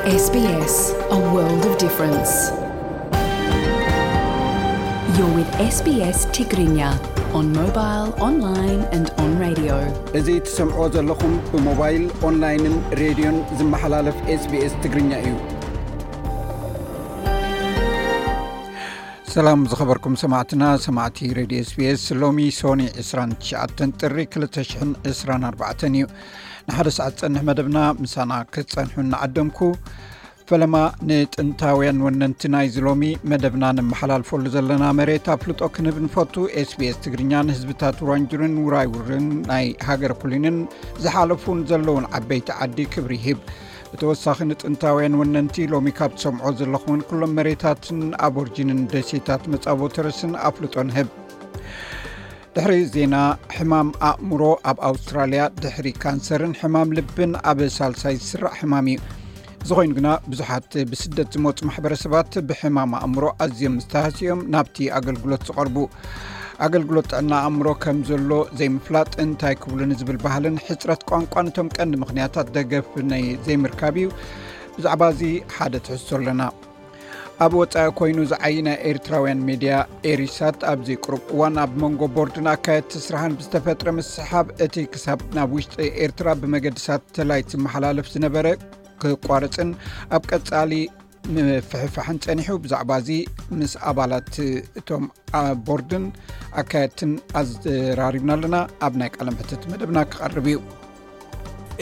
S B S, a world of difference. You're with S B S Tigrinya on mobile, online and on radio. እዚ ትሰምዕዎ ዘለኹም ብሞባይል፣ ኦንላይንን ሬድዮን ዝመሓላለፍ S B S ትግርኛ እዩ። ሰላም ዝኸበርኩም ሰማዕትና፣ ሰማዕቲ ሬድዮ S B S፣ ሎሚ ሶኒ ዕስራን ትሽዓተን ጥሪ ክልተ ሽሕን ዕስራን ኣርባዕተን እዩ። ንሓደ ሰዓት ዝጸንሕ መደብና ምሳና ክትጸንሑ እናዓደምኩ፣ ፈለማ ንጥንታውያን ወነንቲ ናይዚ ሎሚ መደብና ነመሓላልፈሉ ዘለና መሬት ኣፍልጦ ክንህብ ንፈቱ። S B S ትግርኛ ንህዝብታት ውራንጁርን ውራይውርን ናይ ሃገር ኩሊንን ዝሓለፉን ዘለውን ዓበይቲ ዓዲ ክብሪ ይህብ። ብተወሳኺ ንጥንታውያን ወነንቲ ሎሚ ካብ ትሰምዖ ዘለኹምን ኩሎም መሬታትን ኣቦርጂንን ደሴታት መጻቦ ተረስን ኣፍልጦ ንህብ። ድሕሪ ዜና፣ ሕማም ኣእምሮ ኣብ ኣውስትራልያ ድሕሪ ካንሰርን ሕማም ልብን ኣብ ሳልሳይ ዝስራዕ ሕማም እዩ። እዚ ኮይኑ ግና ብዙሓት ብስደት ዝመፁ ማሕበረሰባት ብሕማም ኣእምሮ ኣዝዮም ዝተሃስዮም ናብቲ ኣገልግሎት ዝቐርቡ። ኣገልግሎት ጥዕና ኣእምሮ ከም ዘሎ ዘይምፍላጥ እንታይ ክብሉ ንዝብል ባህልን ሕፅረት ቋንቋ ነቶም ቀንዲ ምኽንያታት ደገፍ ናይ ዘይምርካብ እዩ። ብዛዕባ እዚ ሓደ ትሕዝቶ ኣለና። ኣብ ወጻኢ ኮይኑ ዝዓይ ናይ ኤርትራውያን ሜድያ ኤሪሳት ኣብዚ ቅሩብ እዋን ኣብ መንጎ ቦርድን ኣካየድቲ ስራሕን ብዝተፈጥረ ምስሕሓብ እቲ ክሳብ ናብ ውሽጢ ኤርትራ ብመገዲ ሳተላይት ዝመሓላለፍ ዝነበረ ክቋረጽን ኣብ ቀጻሊ ምፍሕፋሕን ጸኒሑ። ብዛዕባ እዚ ምስ ኣባላት እቶም ኣ-፣ ቦርድን ኣካየድትን ኣዘራሪብና ኣለና። ኣብ ናይ ቃለ መሕትት መደብና ክቐርብ እዩ።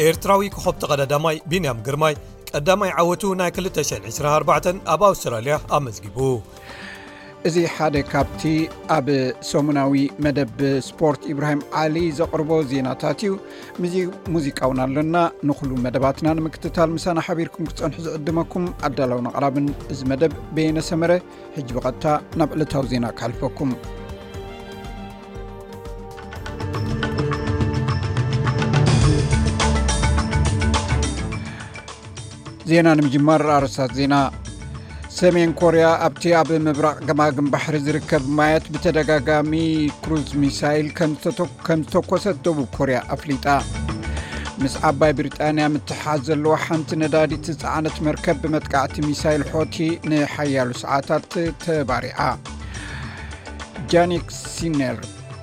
ኤርትራዊ ኮኸብ ተቐዳዳማይ ቢንያም ግርማይ ቀዳማይ ዓወቱ ናይ ክልተ ሽሕን ዕስራን ኣርባዕተን ኣብ ኣውስትራልያ ኣመዝጊቡ። እዚ ሓደ ካብቲ ኣብ ሰሙናዊ መደብ ስፖርት ኢብራሂም ዓሊ ዘቕርቦ ዜናታት እዩ። ምዚ-፣ ሙዚቃ እውን ኣሎና። ንኹሉ መደባትና ንምክትታል ምሳና ሓቢርኩም ክትጸንሑ ዝዕድመኩም ኣዳላውን ኣቕራብን እዚ መደብ በየነ ሰመረ። ሕጂ ብቐጥታ ናብ ዕለታዊ ዜና ክሓልፈኩም። ዜና ንምጅማር ኣርእስታት ዜና። ሰሜን ኮርያ ኣብቲ ኣብ ምብራቕ ገማግም ባሕሪ ዝርከብ ማያት ብተደጋጋሚ ክሩዝ ሚሳይል ከም ዝተተኮ-፣ ከም ዝተኮሰት ደቡብ ኮርያ ኣፍሊጣ። ምስ ዓባይ ብሪጣንያ ምትሓዝ ዘለዎ ሓንቲ ነዳዲ ዝጸዓነት መርከብ ብመጥቃዕቲ ሚሳይል ሖቲ ንሓያሎ ሰዓታት ተባሪዓ። ጃኒክ ሲነር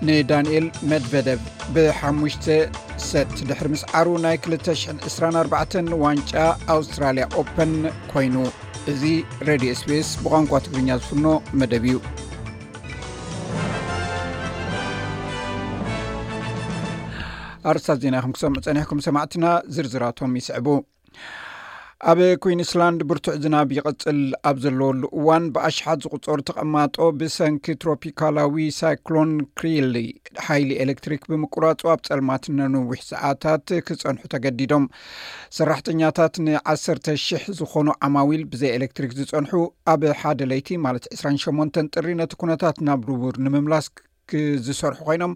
ንዳንኤል መድቨደቭ ብሓሙሽተ ሰት ድሕሪ ምስዓሩ ናይ ክልተ ሽሕን ዕስራን ኣርባዕተን ዋንጫ ኣውስትራልያ ኦፐን ኮይኑ። እዚ ሬድዮ S B S ብቋንቋ ትግርኛ ዝፍኖ መደብ እዩ። ኣርእስታት ዜና ኢኹም ክሰምዑ ጸኒሕኩም ሰማዕትና፣ ዝርዝራቶም ይስዕቡ። ኣብ ኩዊንስላንድ ብርቱዕ ዝናብ ይቕጽል ኣብ ዘለወሉ እዋን፣ ብኣሽሓት ዝቑጸሩ ተቐማጦ ብሰንኪ ትሮፒካላዊ ሳይክሎን ክሪሊ ሓይሊ ኤሌክትሪክ ብምቁራጹ ኣብ ጸልማት ንነዊሕ ሰዓታት ክጸንሑ ተገዲዶም። ሰራሕተኛታት ንዓሰርተ ሽሕ ዝኾኑ ዓማዊል ብዘይ ኤሌክትሪክ ዝጸንሑ ኣብ ሓደ ለይቲ፣ ማለት ዕስራን ሸሞንተን ጥሪ፣ ነቲ ኩነታት ናብ ንቡር ንምምላስ ክ-፣ ዝሰርሑ ኮይኖም፣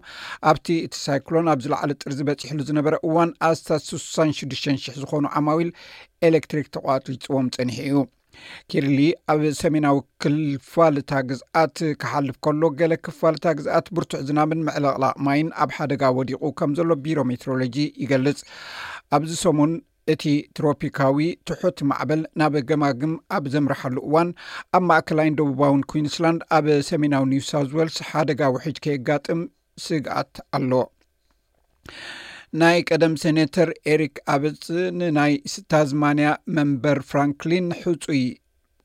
ኣብቲ እቲ ሳይክሎን ኣብ ዝለዓለ ጥርዚ በጺሕሉ ዝነበረ እዋን ኣስታት ስሳን ሽዱሽተን ሽሕ ዝኾኑ ዓማዊል ኤሌክትሪክ ተቋሪጽዎም ጸኒሑ እዩ። ኪርሊ ኣብ ሰሜናዊ ክፋል እታ ግዝኣት ክሓልፍ ከሎ፣ ገለ ክፋል እታ ግዝኣት ብርቱዕ ዝናብን ምዕልቕላቕ ማይን ኣብ ሓደጋ ወዲቑ ከም ዘሎ ቢሮ ሜትሮሎጂ ይገልጽ። ኣብዚ ሰሙን እቲ ትሮፒካዊ ትሑት ማዕበል ናብ ገማግም ኣብ ዘምርሓሉ እዋን፣ ኣብ ማእከላይን ደቡባውን ኩዊንስላንድ፣ ኣብ ሰሜናዊ ኒው ሳውዝ ዌልስ ሓደጋ ውሕጅ ከየጋጥም ስግኣት ኣሎ። ናይ ቀደም ሴኔተር ኤሪክ ኣበጽ ንናይ ታዝማንያ መንበር ፍራንክሊን ሕጹይ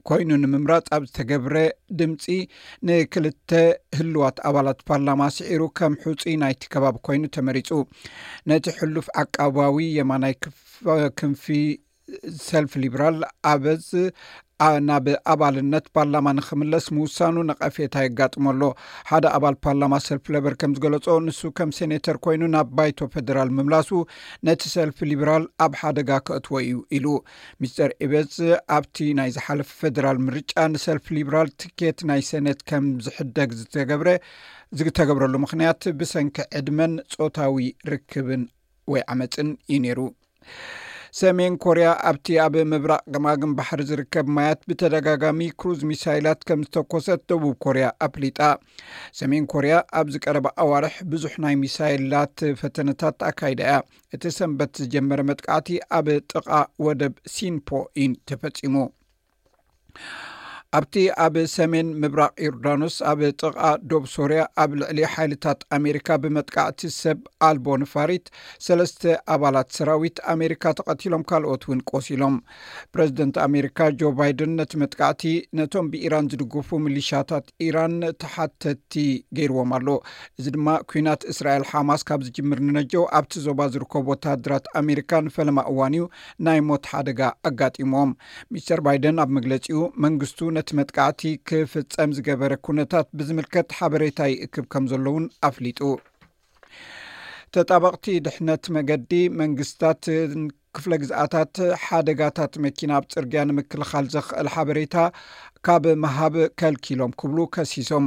ኮይኑ ንምምራጽ ኣብ ዝተገብረ ድምጺ፣ ንክልተ ህልዋት ኣባላት ፓርላማ ስዒሩ ከም ሕጹይ ናይቲ ከባቢ ኮይኑ ተመሪጹ። ነቲ ሕሉፍ ዓቃባዊ የማናይ ክፍ-፣ ክንፊ ሰልፍ ሊብራል ኣበዝ ኣ-፣ ናብ ኣባልነት ፓርላማ ንኽምለስ ምውሳኑ ነቐፌታ የጋጥሞ ኣሎ። ሓደ ኣባል ፓርላማ ሰልፍ ለበር ከም ዝገለጾ፣ ንሱ ከም ሴኔተር ኮይኑ ናብ ባይቶ ፌደራል ምምላሱ ነቲ ሰልፍ ሊብራል ኣብ ሓደጋ ከእትዎ እዩ ኢሉ። ሚስተር ኢበዝ ኣብቲ ናይ ዝሓለፈ ፌደራል ምርጫ ንሰልፍ ሊብራል ትኬት ናይ ሰኔት ከም ዝሕደግ ዝተገብረ፣ ዝተገብረሉ ምኽንያት ብሰንኪ ዕድመን ጾታዊ ርክብን ወይ ዓመጽን እዩ ነይሩ። ሰሜን ኮርያ ኣብቲ ኣብ ምብራቕ ገማግም ባሕሪ ዝርከብ ማያት ብተደጋጋሚ ክሩዝ ሚሳይላት ከም ዝተኮሰት ደቡብ ኮርያ ኣፍሊጣ። ሰሜን ኮርያ ኣብዚ ቀረባ ኣዋርሕ ብዙሕ ናይ ሚሳይላት ፈተነታት ኣካይዳ እያ። እቲ ሰንበት ዝጀመረ መጥቃዕቲ ኣብ ጥቓ ወደብ ሲንፖ እዩ ተፈጺሙ። ኣብቲ ኣብ ሰሜን ምብራቕ ዮርዳኖስ ኣብ ጥቓ ዶብ ሶርያ ኣብ ልዕሊ ሓይልታት ኣሜሪካ ብመጥቃዕቲ ሰብ ኣልቦ ንፋሪት ሰለስተ ኣባላት ሰራዊት ኣሜሪካ ተቐቲሎም፣ ካልኦት እውን ቆሲሎም። ፕረዚደንት ኣሜሪካ ጆ ባይደን ነቲ መጥቃዕቲ ነቶም ብኢራን ዝድግፉ ሚሊሻታት ኢራን ተሓተቲ ገይርዎም ኣሎ። እዚ ድማ ኩናት እስራኤል ሓማስ ካብ ዝጅምር ንነጀው ኣብቲ ዞባ ዝርከቡ ወተሃደራት ኣሜሪካ ንፈለማ እዋን እዩ ናይ ሞት ሓደጋ ኣጋጢሞም። ሚስተር ባይደን ኣብ መግለጺኡ መንግስቱ ነቲ መጥቃዕቲ ክፍጸም ዝገበረ ኩነታት ብዝምልከት ሓበሬታ ይእክብ ከም ዘሎ እውን ኣፍሊጡ። ተጣበቕቲ ድሕነት መገዲ መንግስታት ክፍለ ግዝኣታት ሓደጋታት መኪና ኣብ ጽርግያ ንምክልኻል ዘኽእል ሓበሬታ ካብ ምሃብ ከልኪሎም ክብሉ ከሲሶም።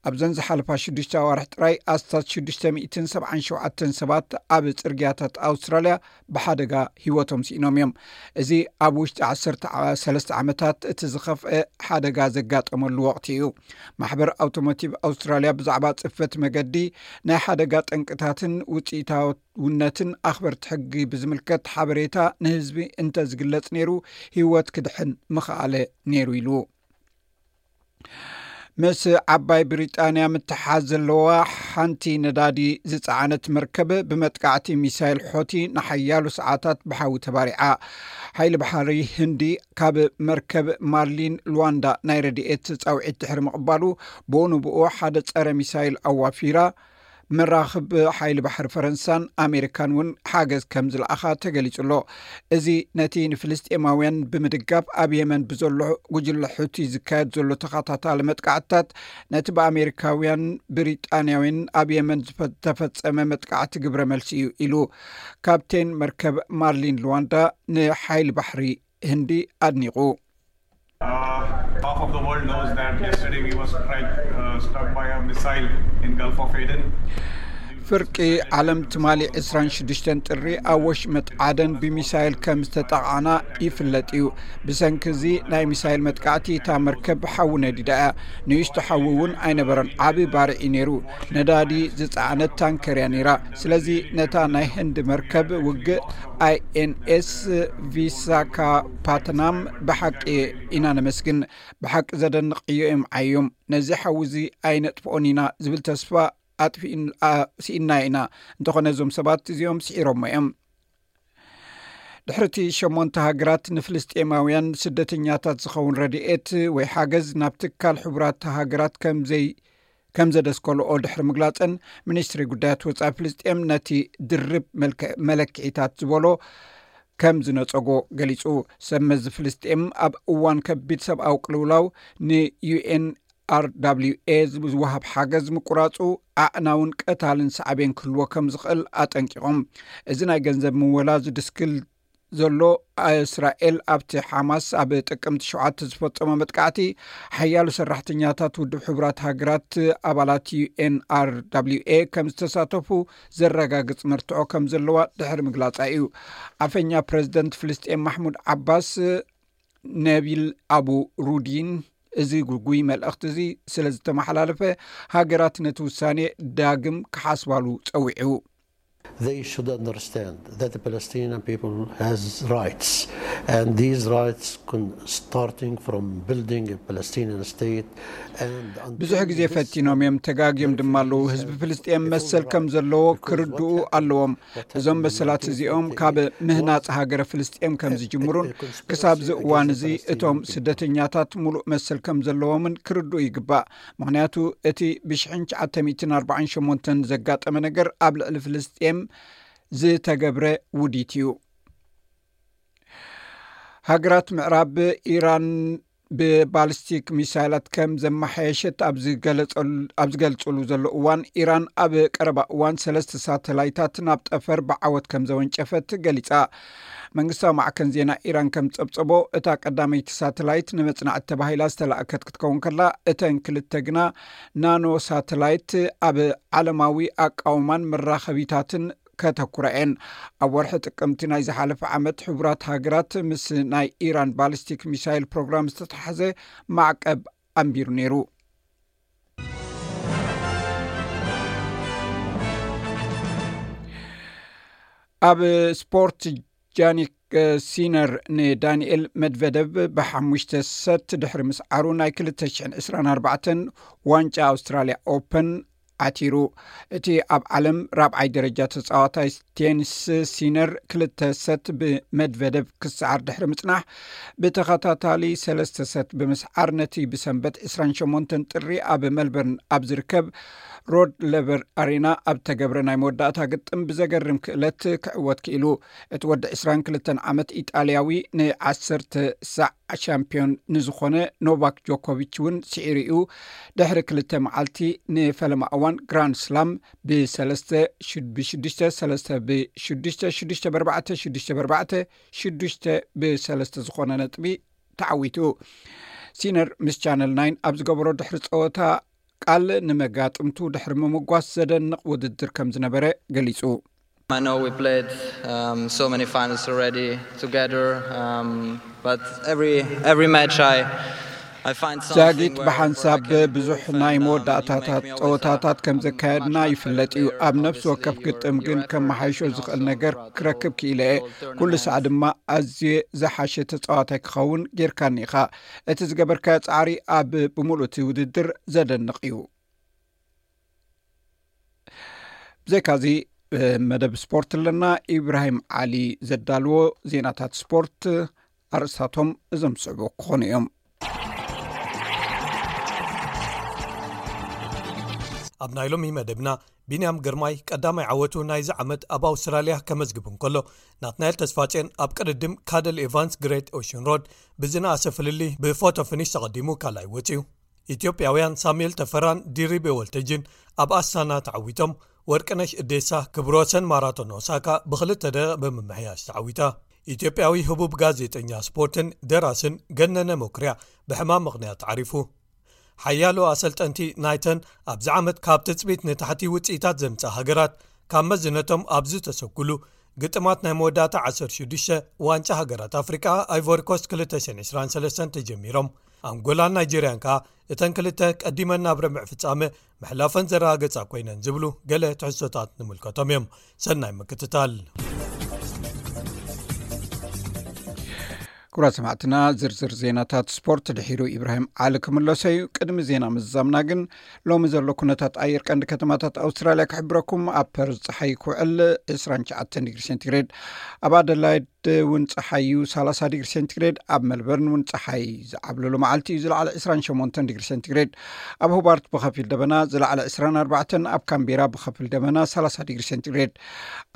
ኣብዘን ዝሓለፋ ሽዱሽተ ኣዋርሕ ጥራይ ኣስታት ሽዱሽተ ሚእትን ሰብዓን ሸውዓተን ሰባት ኣብ ጽርግያታት ኣውስትራልያ ብሓደጋ ህይወቶም ስኢኖም እዮም። እዚ ኣብ ውሽጢ ዓሰርተ ሰለስተ ዓመታት እቲ ዝኸፍአ ሓደጋ ዘጋጠመሉ ወቕቲ እዩ። ማሕበር ኣውቶሞቲቭ ኣውስትራልያ ብዛዕባ ጽፈት መገዲ፣ ናይ ሓደጋ ጠንቅታትን ውጽኢታውነትን ኣኽበርቲ ሕጊ ብዝምልከት ሓበሬታ ንህዝቢ እንተ ዝግለጽ ነይሩ፣ ህይወት ክድሕን ምኽኣለ ነይሩ ኢሉ። ምስ ዓባይ ብሪጣንያ ምትሓዝ ዘለዋ ሓንቲ ነዳዲ ዝጸዓነት መርከብ ብመጥቃዕቲ ሚሳይል ሖቲ ንሓያሎ ሰዓታት ብሓዊ ተባሪዓ። ሓይሊ ባሕሪ ህንዲ ካብ መርከብ ማርሊን ሉዋንዳ ናይ ረድኤት ጻውዒት ድሕሪ ምቕባሉ፣ ብኡ ንብኡ ሓደ ጸረ ሚሳይል ኣዋፊራ። መራኽብ ሓይሊ ባሕሪ ፈረንሳን ኣሜሪካን እውን ሓገዝ ከም ዝለኣኻ ተገሊጹ ኣሎ። እዚ ነቲ ንፍልስጤማውያን ብምድጋፍ ኣብ የመን ብዘሎ ጉጅለ ሑቲ ዝካየድ ዘሎ ተኸታታሊ መጥቃዕትታት፣ ነቲ ብኣሜሪካውያን ብሪጣንያውያን ኣብ የመን ዝተፈጸመ መጥቃዕቲ ግብረ መልሲ እዩ ኢሉ ካፕቴን መርከብ ማርሊን ሉዋንዳ ንሓይሊ ባሕሪ ህንዲ ኣድኒቑ። Uh, half of the world knows that yesterday we were struck, uh, struck by a missile in Gulf of Aden. ፍርቂ ዓለም ትማሊ ዕስራን ሽዱሽተን ጥሪ ኣብ ወሽመጥ ዓደን ብሚሳይል ከም ዝተጠቕዓና ይፍለጥ እዩ። ብሰንኪ እዚ ናይ ሚሳይል መጥቃዕቲ እታ መርከብ ሓዊ ነዲዳ እያ። ንእሽቶ ሓዊ እውን ኣይነበረን፣ ዓቢ ባርዕ እዩ ነይሩ። ነዳዲ ዝጸዓነት ታንከር እያ ነይራ። ስለዚ ነታ ናይ ህንዲ መርከብ ውግእ ኣይኤንኤስ ቪሳካፓትናም ብሓቂ ኢና ነመስግን። ብሓቂ ዘደንቕ ዕዮ እዮም ዓዮም። ነዚ ሓዊ እዚ ኣይነጥፍኦን ኢና ዝብል ተስፋ ኣጥፊእን-፣ ኣ-፣ ስኢንና ኢና። እንተኾነ እዞም ሰባት እዚኦም ስዒሮሞ እዮም። ድሕሪ እቲ ሸሞንተ ሃገራት ንፍልስጤማውያን ስደተኛታት ዝኸውን ረድኤት ወይ ሓገዝ ናብ ትካል ሕቡራት ሃገራት ከም ዘይ-፣ ከም ዘደስከልኦ ድሕሪ ምግላጸን፣ ሚኒስትሪ ጉዳያት ወጻኢ ፍልስጤም ነቲ ድርብ መልክዕ-፣ መለክዒታት ዝበሎ ከም ዝነጸጎ ገሊጹ። ሰብ መዚ ፍልስጤም ኣብ እዋን ከቢድ ሰብኣዊ ቅልውላው ንዩኤን ኣር ዳብሊው ኤ ዝወሃብ ሓገዝ ምቁራጹ ኣዕናውን ቀታልን ሳዕቤን ክህልዎ ከም ዝኽእል ኣጠንቂቖም። እዚ ናይ ገንዘብ ምወላ ዝድስክል ዘሎ፣ እስራኤል ኣብቲ ሓማስ ኣብ ጥቅምቲ ሸውዓተ ዝፈጸሞ መጥቃዕቲ ሓያሎ ሰራሕተኛታት ውድብ ሕቡራት ሃገራት ኣባላት ዩኤን ኣር ዳብሊው ኤ ከም ዝተሳተፉ ዘረጋግጽ መርትዖ ከም ዘለዋ ድሕሪ ምግላጻ እዩ። ኣፈኛ ፕረዚደንት ፍልስጤም ማሕሙድ ዓባስ ነቢል ኣቡ ሩዲን እዚ ግጉይ መልእኽቲ እዚ ስለ ዝተመሓላለፈ፣ ሃገራት ነቲ ውሳኔ ዳግም ክሓስባሉ ጸዊዑ። They should understand that the Palestinian people has rights, and these rights con- starting from building a Palestinian state and until ብዙሕ ግዜ this ፈቲኖም እዮም፣ ተጋግዮም ድማ ኣለዉ። ህዝቢ ፍልስጤም መሰል ከም ዘለዎ ክርድኡ ኣለዎም። እዞም መሰላት እዚኦም ካብ ምህናጽ ሃገረ ፍልስጤም ከም ዝጅምሩን ክሳብ እዚ እዋን እዚ እቶም ስደተኛታት ሙሉእ መሰል ከም ዘለዎምን ክርድኡ ይግባእ። ምኽንያቱ እቲ ብሽሕን ትሽዓተ ሚእትን ኣርባዓን ሸሞንተን ዘጋጠመ ነገር ኣብ ልዕሊ ፍልስጤም ዝተገብረ ውዲት እዩ። ሃገራት ምዕራብ ኢራን ብባሊስቲክ ሚሳይላት ከም ዘመሓየሸት ኣብ ዝገለጸሉ- ኣብ ዝገልጽሉ ዘሎ እዋን፣ ኢራን ኣብ ቀረባ እዋን ሰለስተ ሳተላይታት ናብ ጠፈር ብዓወት ከም ዘወንጨፈት ገሊጻ። መንግስታዊ ማዕከን ዜና ኢራን ከም ጸብጸቦ፣ እታ ቀዳመይቲ ሳተላይት ንመጽናዕቲ ተባሂላ ዝተላእከት ክትከውን ከላ፣ እተን ክልተ ግና ናኖ ሳተላይት ኣብ ዓለማዊ ኣቃውማን መራኸቢታትን ከተኩራ እየን። ኣብ ወርሒ ጥቅምቲ ናይ ዝሓለፈ ዓመት ሕቡራት ሃገራት ምስ ናይ ኢራን ባሊስቲክ ሚሳይል ፕሮግራም ዝተተሓዘ ማዕቀብ ኣንቢሩ ነይሩ። ኣብ ስፖርት ጃኒክ ሲነር ንዳንኤል መድቨደቭ ብሓሙሽተ ሰት ድሕሪ ምስዓሩ ናይ ክልተ ሽሕን ዕስራን ኣርባዕተን ዋንጫ ኣውስትራልያ ኦፐን ዓቲሩ። እቲ ኣብ ዓለም ራብዓይ ደረጃ ተጻዋታይ ቴኒስ ሲነር ክልተ ሰት ብመድቨደቭ ክሰዓር ድሕሪ ምጽናሕ ብተኸታታሊ ሰለስተ ሰት ብምስዓር ነቲ ብሰንበት ዕስራን ሸሞንተን ጥሪ ኣብ ሜልበርን ኣብ ዝርከብ ሮድ ለቨር ኣሬና ኣብ ተገብረ ናይ መወዳእታ ግጥም ብዘገርም ክእለት ክዕወት ክኢሉ። እቲ ወዲ ዕስራን ክልተን ዓመት ኢጣልያዊ ንዓሰርተ ሳዕ ሻምፒዮን ንዝኾነ ኖቫክ ጆኮቪች እውን ስዒሩ እዩ። ድሕሪ ክልተ መዓልቲ ንፈለማ እዋን ግራንድ ስላም ብሰለስተ፣ ብሽዱሽተ ሰለስተ፣ ብሽዱሽተ ሽዱሽተ፣ ብኣርባዕተ ሽዱሽተ፣ ብኣርባዕተ ሽዱሽተ፣ ብሰለስተ ዝኾነ ነጥቢ ተዓዊቱ። ሲነር ምስ ቻነል ናይን ኣብ ዝገበሮ ድሕሪ ጸወታ ቃል ንመጋጥምቱ ድሕሪ ምምጓስ ዘደንቕ ውድድር ከም ዝነበረ ገሊጹ። I know we played um, so many finals already together, um, but every every match I I find something ጃጊት where, ብሓንሳብ where I can ብዙሕ ናይ መወዳእታታት ጸወታታት ከም ዘካየድና ይፍለጥ እዩ። ኣብ ነፍሲ ወከፍ ግጥም ግን ከመሓይሾ ዝኽእል ነገር ክረክብ ክኢለ እየ። ኩሉ ሳዕ ድማ ኣዝየ ዝሓሸ ተጻዋታይ ክኸውን ጌርካኒ ኢኻ። እቲ ዝገበርካዮ ጻዕሪ ኣብ ብምሉእ እቲ ውድድር ዘደንቕ እዩ። ብዘይካዚ መደብ ስፖርት ኣለና። ኢብራሂም ዓሊ ዘዳልዎ ዜናታት ስፖርት ኣርእስታቶም እዞም ዝስዕቡ ክኾኑ እዮም። ኣብ ናይ ሎሚ መደብና፣ ቢንያም ግርማይ ቀዳማይ ዓወቱ ናይዚ ዓመት ኣብ ኣውስትራልያ ከመዝግብ እንከሎ፣ ናትናኤል ተስፋጼን ኣብ ቅድድም ካደል ኤቫንስ ግሬት ኦሽን ሮድ ብዝነኣሰ ፍልልይ ብፎቶ ፊኒሽ ተቐዲሙ ካልኣይ ወጺኡ። ኢትዮጵያውያን ሳሙኤል ተፈራን ዲሪቤ ወልተጅን ኣብ ኣስታና ተዓዊቶም፣ ወርቅነሽ እዴሳ ክብረ ወሰን ማራቶን ኦሳካ ብክልተ ደቂቕ ብምምሕያሽ ተዓዊታ። ኢትዮጵያዊ ህቡብ ጋዜጠኛ ስፖርትን ደራስን ገነነ መኩርያ ብሕማም ምኽንያት ዓሪፉ። ሓያሎ ኣሰልጠንቲ ናይተን ኣብዚ ዓመት ካብ ትጽቢት ንታሕቲ ውጽኢታት ዘምጽኣ ሃገራት ካብ መዝነቶም ኣብ ዝተሰጉሉ ግጥማት ናይ መወዳእታ ዓሰርተ ሽዱሽተ ዋንጫ ሃገራት ኣፍሪቃ ኣይቮሪኮስት ክልተ ሽሕን ዕስራን ሰለስተን ተጀሚሮም። ኣንጎላን ናይጀርያን ከኣ እተን ክልተ ቀዲመን ናብ ረብዕ ፍጻመ ምሕላፈን ዘረጋገጻ ኮይነን ዝብሉ ገለ ትሕዝቶታት ንምልከቶም እዮም። ሰናይ ምክትታል። ክቡራት ሰማዕትና፣ ዝርዝር ዜናታት ስፖርት ድሒሩ ኢብራሂም ዓሊ ክምለሶ እዩ። ቅድሚ ዜና ምዝዛምና ግን ሎሚ ዘሎ ኩነታት ኣየር ቀንዲ ከተማታት ኣውስትራልያ ክሕብረኩም። ኣብ ፐርዝ ጸሓይ ክውዕል ዕስራን ትሽዓተን ዲግሪ ሴንቲግሬድ፣ ኣብ ኣደላይድ እውን ጸሓይ እዩ ሰላሳ ዲግሪ ሴንቲግሬድ፣ ኣብ መልበርን እውን ጸሓይ ዝዓብለሉ መዓልቲ እዩ ዝለዓለ ዕስራን ሸሞንተን ዲግሪ ሴንቲግሬድ፣ ኣብ ሆባርት ብኸፊል ደበና ዝለዓለ ዕስራን ኣርባዕተን፣ ኣብ ካምቤራ ብኸፊል ደበና ሰላሳ ዲግሪ ሴንቲግሬድ፣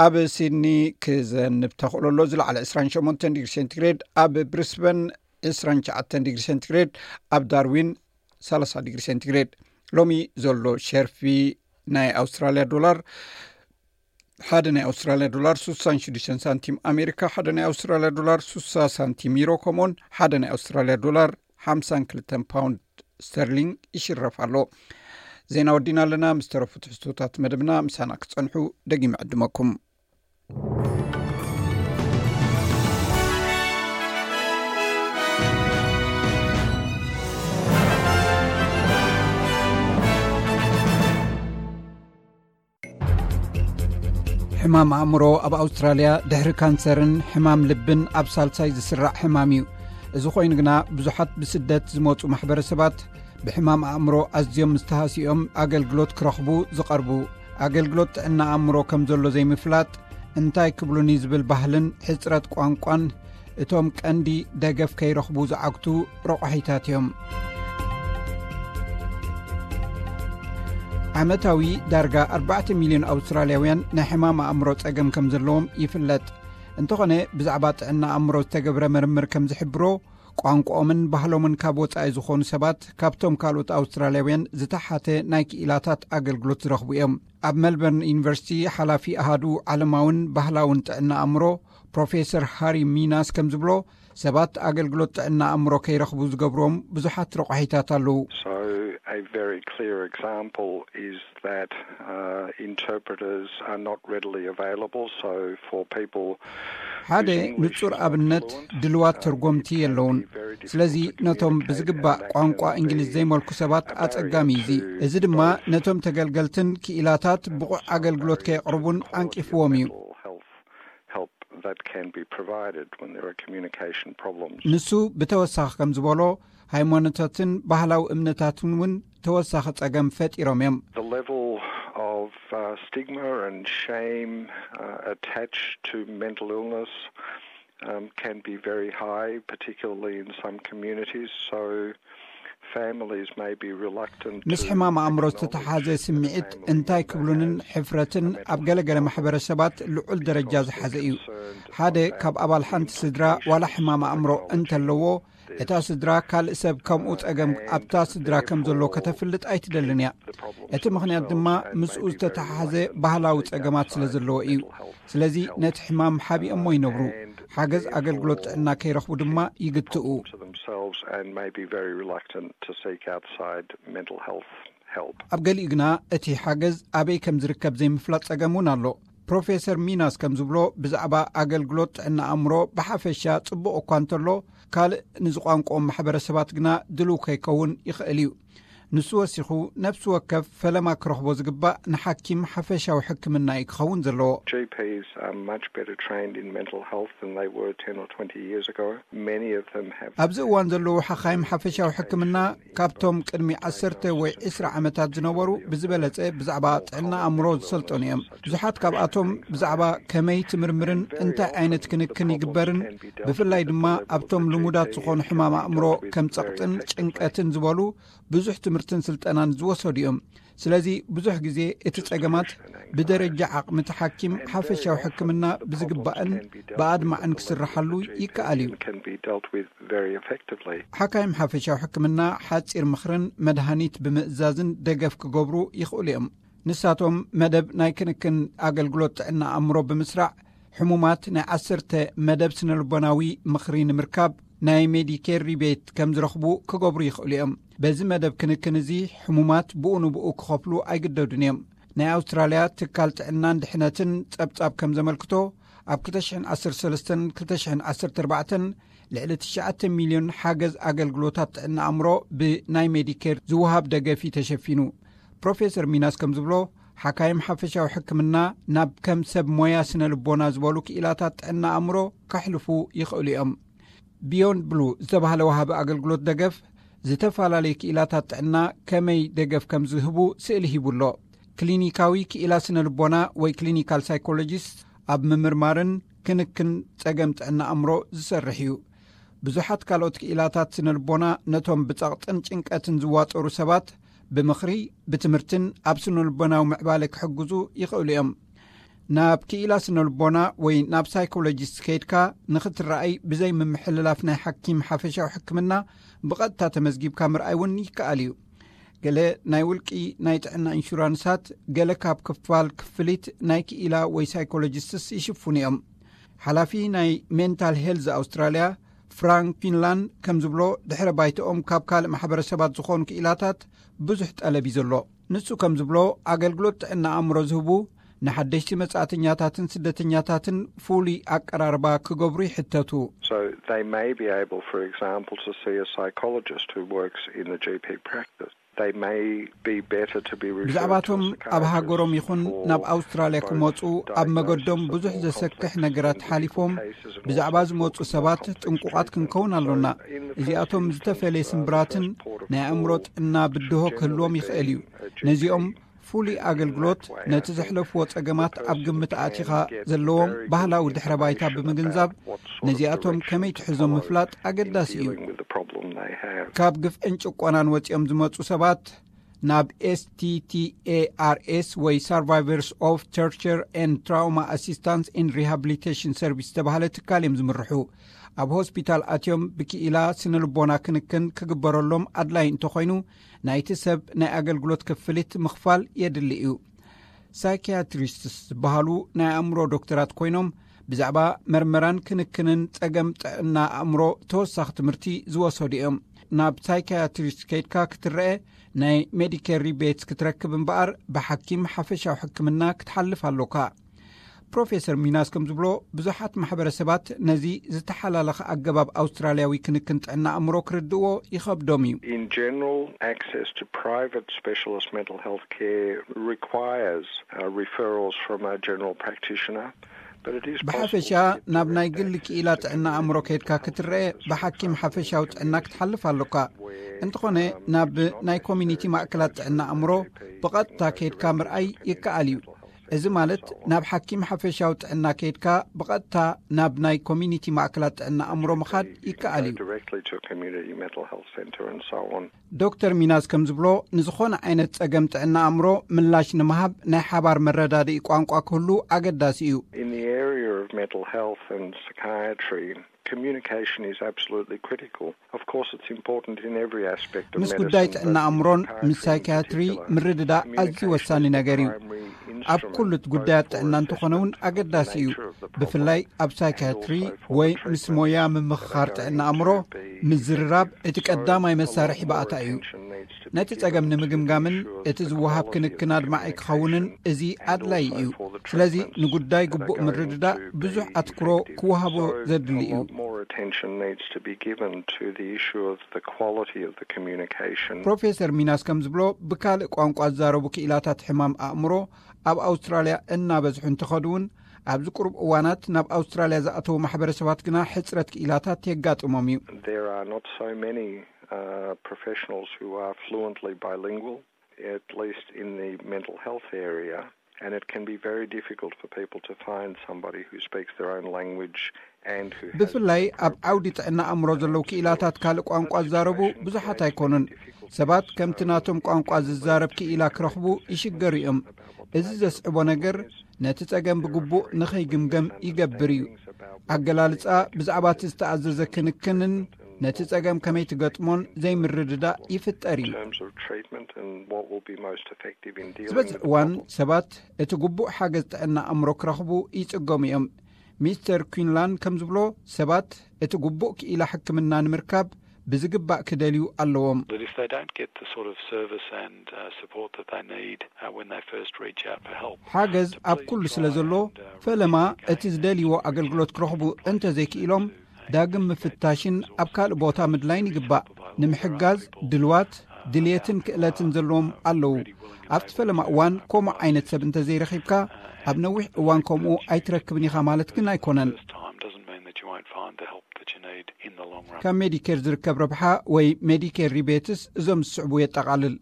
ኣብ ሲድኒ ክዘንብ ተኽእሎ ኣሎ ዝለዓለ ዕስራን ሸሞንተን ዲግሪ ሴንቲግሬድ፣ ኣብ ብሪስበን ዕስራን ትሽዓተን ዲግሪ ሴንቲግሬድ፣ ኣብ ዳርዊን ሰላሳ ዲግሪ ሴንቲግሬድ። ሎሚ ዘሎ ሸርፊ ናይ ኣውስትራልያ ዶላር ሓደ ናይ ኣውስትራልያ ዶላር ሱሳን ሽዱሽተን ሳንቲም ኣሜሪካ፣ ሓደ ናይ ኣውስትራልያ ዶላር ሱሳ ሳንቲም ዩሮ፣ ከምኡውን ሓደ ናይ ኣውስትራልያ ዶላር ሓምሳን ክልተን ፓውንድ ስተርሊንግ ይሽረፍ ኣሎ። ዜና ወዲና ኣለና። ምስ ተረፉ ትሕዝቶታት መደብና ምሳና ክጸንሑ ደጊመ ዕድመኩም። ሕማም ኣእምሮ ኣብ ኣውስትራልያ ድሕሪ ካንሰርን ሕማም ልብን ኣብ ሳልሳይ ዝስራዕ ሕማም እዩ። እዚ ኮይኑ ግና ብዙሓት ብስደት ዝመጹ ማሕበረሰባት ብሕማም ኣእምሮ ኣዝዮም ምስ ተሃስዮም ኣገልግሎት ክረኽቡ ዝቐርቡ። ኣገልግሎት ጥዕና ኣእምሮ ከም ዘሎ ዘይምፍላጥ፣ እንታይ ክብሉኒ ዝብል ባህልን ሕጽረት ቋንቋን እቶም ቀንዲ ደገፍ ከይረኽቡ ዝዓግቱ ረቋሒታት እዮም። ዓመታዊ ዳርጋ ኣርባዕተ ሚልዮን ኣውስትራልያውያን ናይ ሕማም ኣእምሮ ጸገም ከም ዘለዎም ይፍለጥ። እንተኾነ ብዛዕባ ጥዕና ኣእምሮ ዝተገብረ ምርምር ከም ዝሕብሮ፣ ቋንቋኦምን ባህሎምን ካብ ወጻኢ ዝኾኑ ሰባት ካብቶም ካልኦት ኣውስትራልያውያን ዝተሓተ ናይ ክኢላታት ኣገልግሎት ዝረኽቡ እዮም። ኣብ ሜልበርን ዩኒቨርሲቲ ሓላፊ ኣሃዱ ዓለማውን ባህላውን ጥዕና ኣእምሮ ፕሮፌሰር ሃሪ ሚናስ ከም ዝብሎ፣ ሰባት ኣገልግሎት ጥዕና ኣእምሮ ከይረኽቡ ዝገብሮም ብዙሓት ረቋሒታት ኣለዉ። A very clear example is that uh, interpreters are not readily available, so for people ሓደ ንጹር ኣብነት ድልዋት ተርጎምቲ የለውን። ስለዚ ነቶም ብዝግባእ ቋንቋ እንግሊዝ ዘይመልኩ ሰባት ኣጸጋሚ እዩ። እዚ ድማ ነቶም ተገልገልትን ክኢላታት ብቑዕ ኣገልግሎት ከየቕርቡን ኣንቂፍዎም እዩ። Help that can be provided when there are communication problems. ንሱ ብተወሳኺ ከም ዝበሎ፣ ሃይማኖታትን ባህላዊ እምነታትን እውን ተወሳኺ ጸገም ፈጢሮም እዮም። The level of uh, stigma and shame uh, attached to mental illness um, can be very high, particularly in some communities. So families may be reluctant ምስ ሕማም ኣእምሮ ዝተተሓዘ ስምዒት እንታይ ክብሉንን ሕፍረትን ኣብ ገለገለ ማሕበረሰባት ልዑል ደረጃ ዝሓዘ እዩ። ሓደ ካብ ኣባል ሓንቲ ስድራ ዋላ ሕማም ኣእምሮ እንተለዎ፣ እታ ስድራ ካልእ ሰብ ከምኡ ጸገም ኣብታ ስድራ ከም ዘሎ ከተፍልጥ ኣይትደልን እያ። እቲ ምኽንያት ድማ ምስኡ ዝተተሓሓዘ ባህላዊ ጸገማት ስለ ዘለዎ እዩ። ስለዚ ነቲ ሕማም ሓቢኦሞ ይነብሩ። ሓገዝ ኣገልግሎት ጥዕና ከይረኽቡ ድማ ይግትኡ። to themselves and may be very reluctant to seek outside mental health help. ኣብ ገሊኡ ግና እቲ ሓገዝ ኣበይ ከም ዝርከብ ዘይምፍላጥ ጸገም እውን ኣሎ። ፕሮፌሰር ሚናስ ከም ዝብሎ፣ ብዛዕባ ኣገልግሎት ጥዕና ኣእምሮ ብሓፈሻ ጽቡቕ እኳ እንተሎ፣ ካልእ ንዝቋንቋኦም ማሕበረሰባት ግና ድልው ከይከውን ይኽእል እዩ። ንሱ ወሲኹ፣ ነፍሲ ወከፍ ፈለማ ክረኽቦ ዝግባእ ንሓኪም ሓፈሻዊ ሕክምና እዩ ክኸውን ዘለዎ። G Ps are much better trained in mental health than they were ten or twenty years ago. Many of them have ኣብዚ እዋን ዘለዉ ሓኻይም ሓፈሻዊ ሕክምና ካብቶም ቅድሚ ዓሰርተ ወይ ዕስራ ዓመታት ዝነበሩ ብዝበለጸ ብዛዕባ ጥዕና ኣእምሮ ዝሰልጠኑ እዮም። ብዙሓት ካብኣቶም ብዛዕባ ከመይ ትምርምርን እንታይ ዓይነት ክንክን ይግበርን፣ ብፍላይ ድማ ኣብቶም ልሙዳት ዝኾኑ ሕማም ኣእምሮ ከም ጸቕጥን ጭንቀትን ዝበሉ ብዙሕ ትምህርትን ስልጠናን ዝወሰዱ እዮም። ስለዚ ብዙሕ ግዜ እቲ ጸገማት ብደረጃ ዓቕሚ እቲ ሓኪም ሓፈሻዊ ሕክምና ብዝግባእን ብኣድማዕን ክስርሓሉ ይከኣል እዩ። can be dealt with very effectively. ሓካይም ሓፈሻዊ ሕክምና ሓጺር ምኽርን መድሃኒት ብምእዛዝን ደገፍ ክገብሩ ይኽእሉ እዮም። ንሳቶም መደብ ናይ ክንክን ኣገልግሎት ጥዕና ኣእምሮ ብምስራዕ፣ ሕሙማት ናይ ዓሰርተ መደብ ስነልቦናዊ ምኽሪ ንምርካብ ናይ ሜዲኬር ሪቤት ከም ዝረኽቡ ክገብሩ ይኽእሉ እዮም። በዚ መደብ ክንክን እዚ ሕሙማት ብኡ ንብኡ ክኸፍሉ ኣይግደዱን እዮም። ናይ ኣውስትራልያ ትካል ጥዕናን ድሕነትን ጸብጻብ ከም ዘመልክቶ፣ ኣብ ክልተ ሽሕን ዓሰርተ ሰለስተን ክልተ ሽሕን ዓሰርተ ኣርባዕተን ልዕሊ ትሽዓተ ሚልዮን ሓገዝ ኣገልግሎታት ጥዕና ኣእምሮ ብናይ ሜዲኬር ዝወሃብ ደገፍ እዩ ተሸፊኑ። ፕሮፌሰር ሚናስ ከም ዝብሎ፣ ሓካይም ሓፈሻዊ ሕክምና ናብ ከም ሰብ ሞያ ስነ ልቦና ዝበሉ ክኢላታት ጥዕና ኣእምሮ ከሕልፉ ይኽእሉ እዮም። ቢዮንድ ብሉ ዝተባህለ ወሃቢ ኣገልግሎት ደገፍ፣ ዝተፈላለዩ ክኢላታት ጥዕና ከመይ ደገፍ ከም ዝህቡ ስእሊ ሂቡ ኣሎ። ክሊኒካዊ ክኢላ ስነ ልቦና ወይ ክሊኒካል ሳይኮሎጂስት ኣብ ምምርማርን ክንክን ጸገም ጥዕና ኣእምሮ ዝሰርሕ እዩ። ብዙሓት ካልኦት ክኢላታት ስነ ልቦና ነቶም ብጸቕጥን ጭንቀትን ዝዋጠሩ ሰባት ብምኽሪ፣ ብትምህርትን ኣብ ስነ ልቦናዊ ምዕባለ ክሕግዙ ይኽእሉ እዮም። ናብ ክኢላ ስነ ልቦና ወይ ናብ ሳይኮሎጂስት ከይድካ ንኽትረኣይ ብዘይ ምምሕልላፍ ናይ ሓኪም ሓፈሻዊ ሕክምና ብቐጥታ ተመዝጊብካ ምርኣይ እውን ይከኣል እዩ። ገለ ናይ ውልቂ ናይ ጥዕና ኢንሹራንሳት ገለ ካብ ክፋል ክፍሊት ናይ ክኢላ ወይ ሳይኮሎጂስትስ ይሽፍኑ እዮም። ሓላፊ ናይ ሜንታል ሄልዝ ኣውስትራልያ ፍራንክ ፊንላንድ ከም ዝብሎ፣ ድሕረ ባይትኦም ካብ ካልእ ማሕበረሰባት ዝኾኑ ክኢላታት ብዙሕ ጠለብ እዩ ዘሎ። ንሱ ከም ዝብሎ፣ ኣገልግሎት ጥዕና ኣእምሮ ዝህቡ ንሓደሽቲ መጻእተኛታትን ስደተኛታትን ፍሉይ ኣቀራርባ ክገብሩ ይሕተቱ። So they may be able, for example, to see a psychologist who works in the G P practice. They may be better to be referred to a ብዛዕባቶም ኣብ ሃገሮም psychiatrist ይኹን for ናብ ኣውስትራልያ both ክመጹ ኣብ መገዶም diagnosis ብዙሕ of more ዘሰክሕ complex ነገራት and ሓሊፎም difficult cases and ብዛዕባ also ዝመጹ for ሰባት complex ጥንቁቓት treatment. ክንከውን ኣሎና። So in the እዚኣቶም first ዝተፈለየ instance, uh, the ስምብራትን first port of ናይ ኣእምሮ call ጥዕና ብድሆ should ክህልዎም generally ይኽእል እዩ። be a G P ነዚኦም ፍሉይ in ኣገልግሎት that way. ነቲ ዘሕለፍዎ ጸገማት ኣብ ግምት ኣእቲኻ ዘለዎም ባህላዊ ድሕረ ባይታ ብምግንዛብ ነዚኣቶም ከመይ ትሕዞም ምፍላጥ ኣገዳሲ እዩ። ካብ ግፍዕን ጭቆናን ወጺኦም ዝመጹ ሰባት ናብ S T T A R S ወይ Survivors of Torture and Trauma Assistance and Rehabilitation Service ዝተባህለ ትካል እዮም ዝምርሑ። ኣብ ሆስፒታል ኣትዮም ብክኢላ ስነ ልቦና ክንክን ክግበረሎም ኣድላይ እንተኾይኑ፣ ናይቲ ሰብ ናይ ኣገልግሎት ክፍሊት ምኽፋል የድሊ እዩ። ሳይኪያትሪስትስ ዝበሃሉ ናይ ኣእምሮ ዶክተራት ኮይኖም፣ ብዛዕባ መርመራን ክንክንን ጸገም ጥዕና ኣእምሮ ተወሳኺ ትምህርቲ ዝወሰዱ እዮም። ናብ ሳይካያትሪስት ከይድካ ክትረአ ናይ ሜዲኬር ሪቤትስ ክትረክብ እምበኣር ብሓኪም ሓፈሻዊ ሕክምና ክትሓልፍ ኣሎካ። ፕሮፌሰር ሚናስ ከም ዝብሎ፣ ብዙሓት ማሕበረሰባት ነዚ ዝተሓላለኸ ኣገባብ ኣውስትራልያዊ ክንክን ጥዕና ኣእምሮ ክርድእዎ ይኸብዶም እዩ። In general, access to private specialist mental health care requires uh, referrals from a general practitioner. But it is ብሓፈሻ ናብ ናይ ግሊ ክኢላ ጥዕና ኣእምሮ ከይድካ ክትረአ ብሓኪም ሓፈሻዊ ጥዕና ክትሓልፍ ኣሎካ። እንተኾነ ናብ ናይ ኮሚኒቲ ማእከላት ጥዕና ኣእምሮ ብቐጥታ ከይድካ ምርኣይ ይከኣል እዩ። እዚ ማለት ናብ ሓኪም ሓፈሻዊ ጥዕና ከይድካ ብቐጥታ ናብ ናይ ኮሚኒቲ ማእከላት ጥዕና ኣእምሮ ምኻድ ይከኣል እዩ። Directly to a community mental health centre and so on. ዶክተር ሚናስ ከም ዝብሎ፣ ንዝኾነ ዓይነት ጸገም ጥዕና ኣእምሮ ምላሽ ንምሃብ ናይ ሓባር መረዳድኢ ቋንቋ ክህሉ ኣገዳሲ እዩ። In the area of mental health and psychiatry, communication is absolutely critical. Of course, it's important in every aspect of ምስ ጉዳይ medicine, ጥዕና but ኣእምሮን in ምስ psychiatry in ሳይካትሪ particular, ምርድዳእ ኣዝዩ communication ወሳኒ is the ነገር እዩ። primary ኣብ instrument ኩሉ both ጉዳያት for ጥዕና እንተኾነ እውን assessment of the ኣገዳሲ እዩ። nature of the problem ብፍላይ ኣብ and ሳይካትሪ also for ወይ the ምስ treatment ሞያ that are ምምኽኻር going ጥዕና to ኣእምሮ be ምዝርራብ effective. እቲ So ቀዳማይ a lot መሳርሒ more ባእታ እዩ። attention needs to be ነቲ given ጸገም to ንምግምጋምን ensure እቲ the ዝወሃብ quality of ክንክን ኣድማዒ ክኸውን communication እዚ and ኣድላይ also እዩ። for the ስለዚ treatments ንጉዳይ that ግቡእ are going ምርድዳእ to ብዙሕ be ኣትኩሮ effective. ክወሃቦ So ዘድሊ a እዩ። lot more attention needs to be given to the issue of the quality of the communication. ፕሮፌሰር ሚናስ ከም ዝብሎ፣ ብካልእ ቋንቋ ዝዛረቡ ክኢላታት ሕማም ኣእምሮ ኣብ ኣውስትራልያ እናበዝሑ እንተኸዱ እውን፣ ኣብዚ ቁሩብ እዋናት ናብ ኣውስትራልያ ዝኣተዉ ማሕበረሰባት ግና ሕጽረት ክኢላታት የጋጥሞም እዩ። There are not so many uh, professionals who are fluently bilingual, at least in the mental health area, and it can be very difficult for people to find somebody who speaks their own language and who has ብፍላይ ኣብ ዓውዲ ጥዕና ኣእምሮ ዘለዉ ክኢላታት ካልእ ቋንቋ ዝዛረቡ ብዙሓት ኣይኮኑን። ሰባት ከምቲ ናቶም ቋንቋ ዝዛረብ ክኢላ ክረኽቡ ይሽገሩ እዮም። እዚ ዘስዕቦ ነገር ነቲ ጸገም ብግቡእ ንኸይግምገም ይገብር እዩ። ኣገላልጻ ብዛዕባ እቲ ዝተኣዘዘ ክንክንን ነቲ ጸገም ከመይ ትገጥሞን ዘይምርድዳእ ይፍጠር እዩ። in terms of treatment and what will be most effective in dealing ዝበዝሕ with the እዋን problem. ሰባት እቲ ግቡእ ሓገዝ ጥዕና ኣእምሮ ክረኽቡ ይጽገሙ እዮም። ሚስተር ኩንላን ከም ዝብሎ፣ ሰባት እቲ ግቡእ ክኢላ ሕክምና ንምርካብ ብዝግባእ ክደልዩ ኣለዎም። That if they don't get the sort of service and uh, support that they need uh, when they first reach out for help, ሓገዝ ኣብ ኩሉ ስለ ዘሎ፣ ፈለማ እቲ ዝደልይዎ ኣገልግሎት ክረኽቡ እንተዘይክኢሎም፣ ዳግም ምፍታሽን ኣብ ካልእ ቦታ ምድላይን ይግባእ። ንምሕጋዝ ድልዋት፣ ድልየትን ክእለትን ዘለዎም ኣለዉ። ኣብቲ ፈለማ እዋን ከምኡ ዓይነት ሰብ እንተዘይረኺብካ፣ ኣብ ነዊሕ እዋን ከምኡ ኣይትረክብን ኢኻ ማለት ግን ኣይኮነን። First time doesn't mean that you won't find the help that you need in the long run. ካብ ሜዲኬር ዝርከብ ረብሓ ወይ ሜዲኬር ሪቤትስ እዞም ዝስዕቡ የጠቓልል።